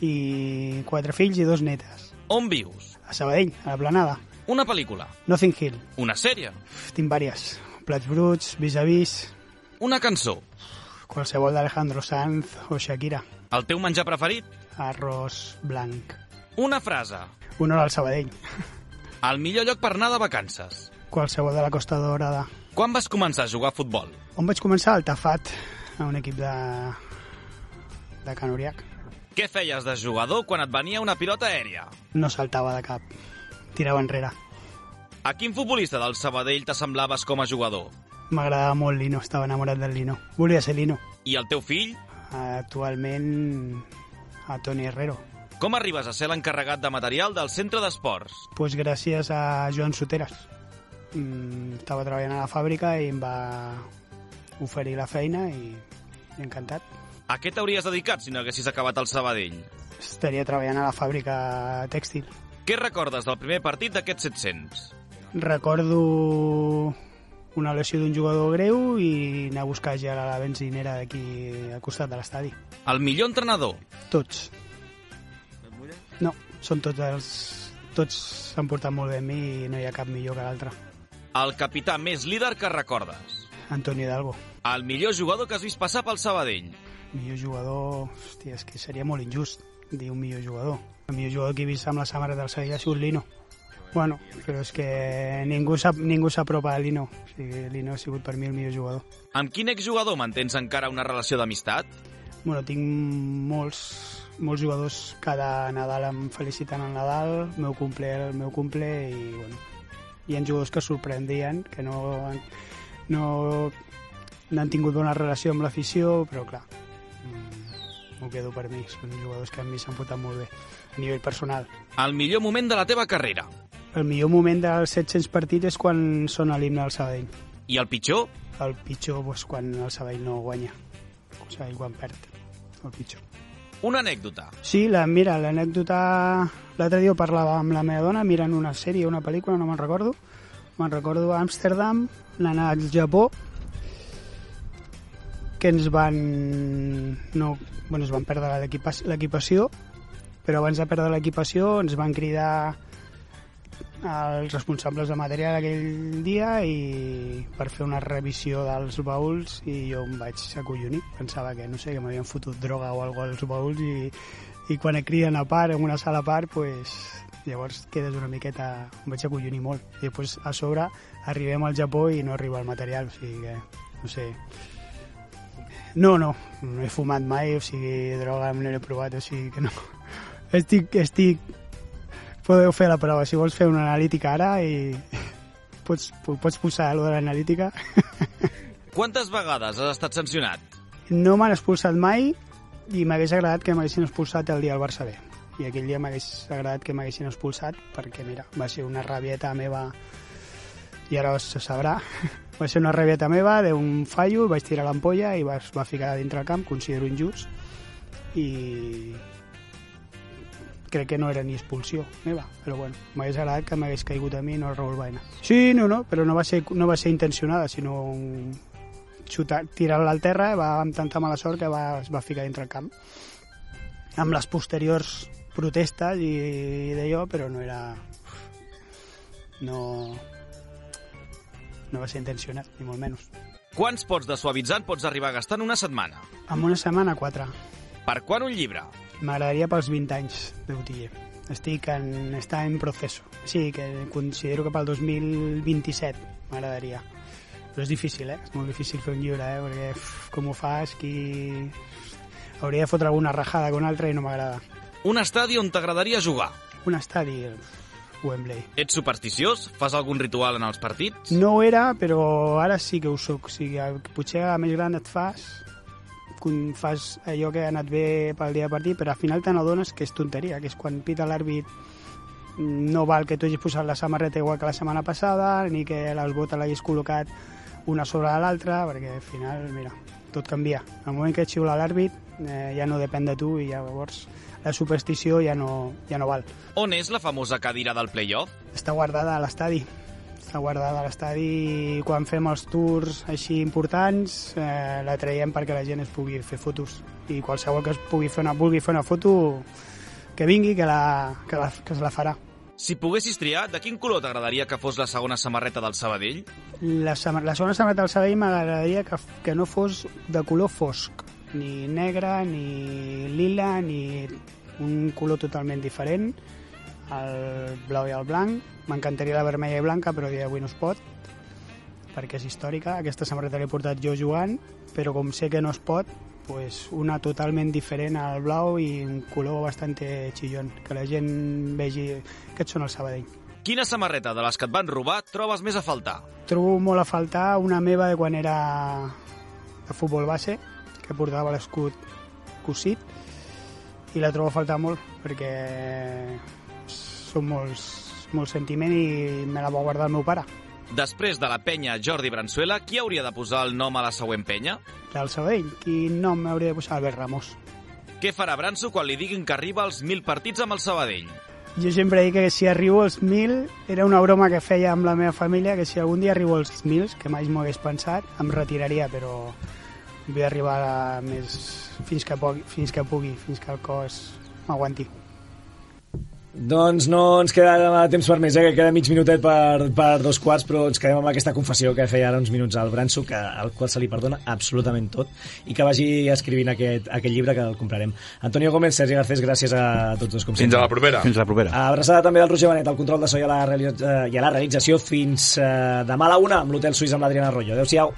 Speaker 12: I quatre fills i dos netes.
Speaker 8: On vius?
Speaker 12: A Sabadell, a la Planada.
Speaker 8: Una pel·lícula.
Speaker 12: Nothing Hill.
Speaker 8: Una sèrie.
Speaker 12: Tinc vàries. Plats bruts, vis-a-vis.
Speaker 8: Una cançó.
Speaker 12: Qualsevol d'Alejandro Sanz o Shakira.
Speaker 8: El teu menjar preferit?
Speaker 12: Arròs blanc.
Speaker 8: Una frase.
Speaker 12: Honor al Sabadell.
Speaker 8: El millor lloc per anar de vacances.
Speaker 12: Qualsevol de la Costa Dorada.
Speaker 8: Quan vas començar a jugar a futbol?
Speaker 12: On vaig començar? Al Tafat, a un equip de, de Can Uriac.
Speaker 8: Què feies de jugador quan et venia una pilota aèria?
Speaker 12: No saltava de cap, tirava enrere.
Speaker 8: A quin futbolista del Sabadell t'assemblaves com a jugador?
Speaker 12: M'agradava molt Lino, estava enamorat del Lino. Volia ser Lino.
Speaker 8: I el teu fill?
Speaker 12: Actualment a Toni Herrero.
Speaker 8: Com arribes a ser l'encarregat de material del centre d'esports?
Speaker 12: Pues gràcies a Joan Soteras. Mm, estava treballant a la fàbrica i em va oferir la feina i encantat.
Speaker 8: A què t'hauries dedicat si no haguessis acabat al Sabadell?
Speaker 12: Estaria treballant a la fàbrica tèxtil.
Speaker 8: Què recordes del primer partit d'aquests set-cents?
Speaker 12: Recordo una lesió d'un jugador greu i anar a buscar gel a la benzinera d'aquí al costat de l'estadi.
Speaker 8: El millor entrenador?
Speaker 12: Tots. No, són tots els... Tots s'han portat molt bé amb mi i no hi ha cap millor que l'altre.
Speaker 8: El capità més líder que recordes?
Speaker 12: Antonio Hidalgo.
Speaker 8: El millor jugador que has vist passar pel Sabadell?
Speaker 12: Millor jugador... Hòstia, és que seria molt injust dir un millor jugador. El millor jugador que he vist amb la samarreta del Sabadell ha sigut Lino. Bueno, però és que ningú s'apropa a Lino. O sigui, Lino ha sigut per mi el millor jugador.
Speaker 8: Amb quin exjugador mantens encara una relació d'amistat?
Speaker 12: Bueno, tinc molts... molts jugadors cada Nadal em feliciten el Nadal, el meu cumple, el meu cumple i bueno, hi ha jugadors que sorprendien, que no, no, no han tingut bona relació amb l'afició, però clar, m'ho quedo per mi, són jugadors que a mi s'han portat molt bé a nivell personal.
Speaker 8: El millor moment de la teva carrera?
Speaker 12: El millor moment dels set-cents partits és quan sona l'himne del Sabadell.
Speaker 8: I el pitjor?
Speaker 12: El pitjor és quan el Sabadell no guanya, o sigui, quan perd, el pitjor.
Speaker 8: Una anècdota.
Speaker 12: Sí, la, mira, l'anècdota... L'altre dia parlava amb la meva dona mirant una sèrie, una pel·lícula, no me'n recordo. Me'n recordo a Amsterdam, l'anar al Japó, que ens van... No, bueno, es van perdre l'equipació, però abans de perdre l'equipació ens van cridar els responsables de material aquell dia i per fer una revisió dels baúls i jo em vaig acollonir, pensava que no sé, que m'havien fotut droga o alguna cosa als baúls i, i quan et criden a part, en una sala a part, pues, llavors quedes una miqueta, em vaig acollonir molt i després a sobre arribem al Japó i no arriba el material, o sigui que no sé, no, no no he fumat mai, o sigui droga no l'he provat, o sigui que no estic, estic podeu fer la prova, si vols fer una analítica ara i pots, pots posar allò de l'analítica.
Speaker 8: Quantes vegades has estat sancionat?
Speaker 12: No m'han expulsat mai i m'hagués agradat que m'haguessin expulsat el dia del Barça B. I aquell dia m'hagués agradat que m'haguessin expulsat perquè, mira, va ser una rabieta meva i ara se sabrà. Va ser una rabieta meva d'un fallo, vaig tirar l'ampolla i va, va ficar dintre el camp, considero injust i... crec que no era ni expulsió meva, però bueno, m'hagués agradat que m'hagués caigut a mi i no el Raúl Baena. Sí, no, no, però no va ser, no va ser intencionada, sinó un... tirar-la al terra, va amb tanta mala sort que va, es va ficar dintre el camp. Amb les posteriors protestes i, i d'allò, però no era... No... no va ser intencionat, ni molt menys.
Speaker 8: Quants pots de suavitzant pots arribar a gastar en una setmana?
Speaker 12: En una setmana, quatre.
Speaker 8: Per quan un llibre?
Speaker 12: M'agradaria pels vint anys de botiller. Estic en, està en procés. Sí, que considero que pel dos mil vint-i-set m'agradaria. Però és difícil, eh? És molt difícil fer un llibre, eh? Perquè uf, com ho fas, qui... Hauria de fotre alguna rajada con altra i no m'agrada.
Speaker 8: Un estadi on t'agradaria jugar?
Speaker 12: Un estadi... Wembley.
Speaker 8: Ets supersticiós? Fas algun ritual en els partits?
Speaker 12: No ho era, però ara sí que ho soc. O sigui, potser a més gran et fas, fas allò que ha anat bé pel dia de partit, però al final te n'adones que és tonteria, que és quan pita l'àrbit no val que tu hagis posat la samarreta igual que la setmana passada, ni que les botes l'hagis col·locat una sobre l'altra, perquè al final, mira, tot canvia. Al moment que et xiula l'àrbit eh, ja no depèn de tu i llavors la superstició ja no, ja no val.
Speaker 8: On és la famosa cadira del play-off?
Speaker 12: Està guardada a l'estadi. Està guardada a l'estadi i quan fem els tours així importants eh, la traiem perquè la gent es pugui fer fotos. I qualsevol que es pugui fer una, vulgui fer una foto, que vingui, que, la, que, la, que se la farà.
Speaker 8: Si poguessis triar, de quin color t'agradaria que fos la segona samarreta del Sabadell?
Speaker 12: La, la segona samarreta del Sabadell m'agradaria que, que no fos de color fosc. Ni negre, ni lila, ni un color totalment diferent, el blau i el blanc. M'encantaria la vermella i blanca, però dia d'avui no es pot, perquè és històrica. Aquesta samarreta l'he portat jo jugant, però com sé que no es pot, pues una totalment diferent al blau i un color bastante chillón, que la gent vegi que són el Sabadell.
Speaker 8: Quina samarreta de les que et van robar trobes més a faltar?
Speaker 12: Trobo molt a faltar una meva de quan era de futbol base, que portava l'escut cosit, i la trobo a faltar molt perquè són molts, molt sentiment i me la va guardar el meu pare.
Speaker 8: Després de la penya Jordi Bransuela, qui hauria de posar el nom a la següent penya?
Speaker 12: Del Sabadell, quin nom m'hauria de posar? Albert Ramos.
Speaker 8: Què farà Branso quan li diguin que arriba als mil partits amb el Sabadell?
Speaker 12: Jo sempre dic que si arribo als mil, era una broma que feia amb la meva família, que si algun dia arribo als mil, que mai m'ho hagués pensat, em retiraria, però vull arribar a més fins que pugui, fins que pugui, fins que el cos m'aguanti.
Speaker 2: Doncs no ens queda temps per més, eh? Que queda mig minutet per, per dos quarts, però ens quedem amb aquesta confessió que feia ara uns minuts al Branso, que, al qual se li perdona absolutament tot, i que vagi escrivint aquest, aquest llibre, que el comprarem. Antonio Gómez, Sergi Garcés, gràcies a tots dos, com sempre.
Speaker 3: Fins a la propera.
Speaker 4: Fins a la propera.
Speaker 2: Abraçada també del Roger Benet, al control de so i a la, realitza- i a la realització. Fins eh, demà a la una amb l'Hotel Suís amb l'Adriana Arroyo. Adéu-siau.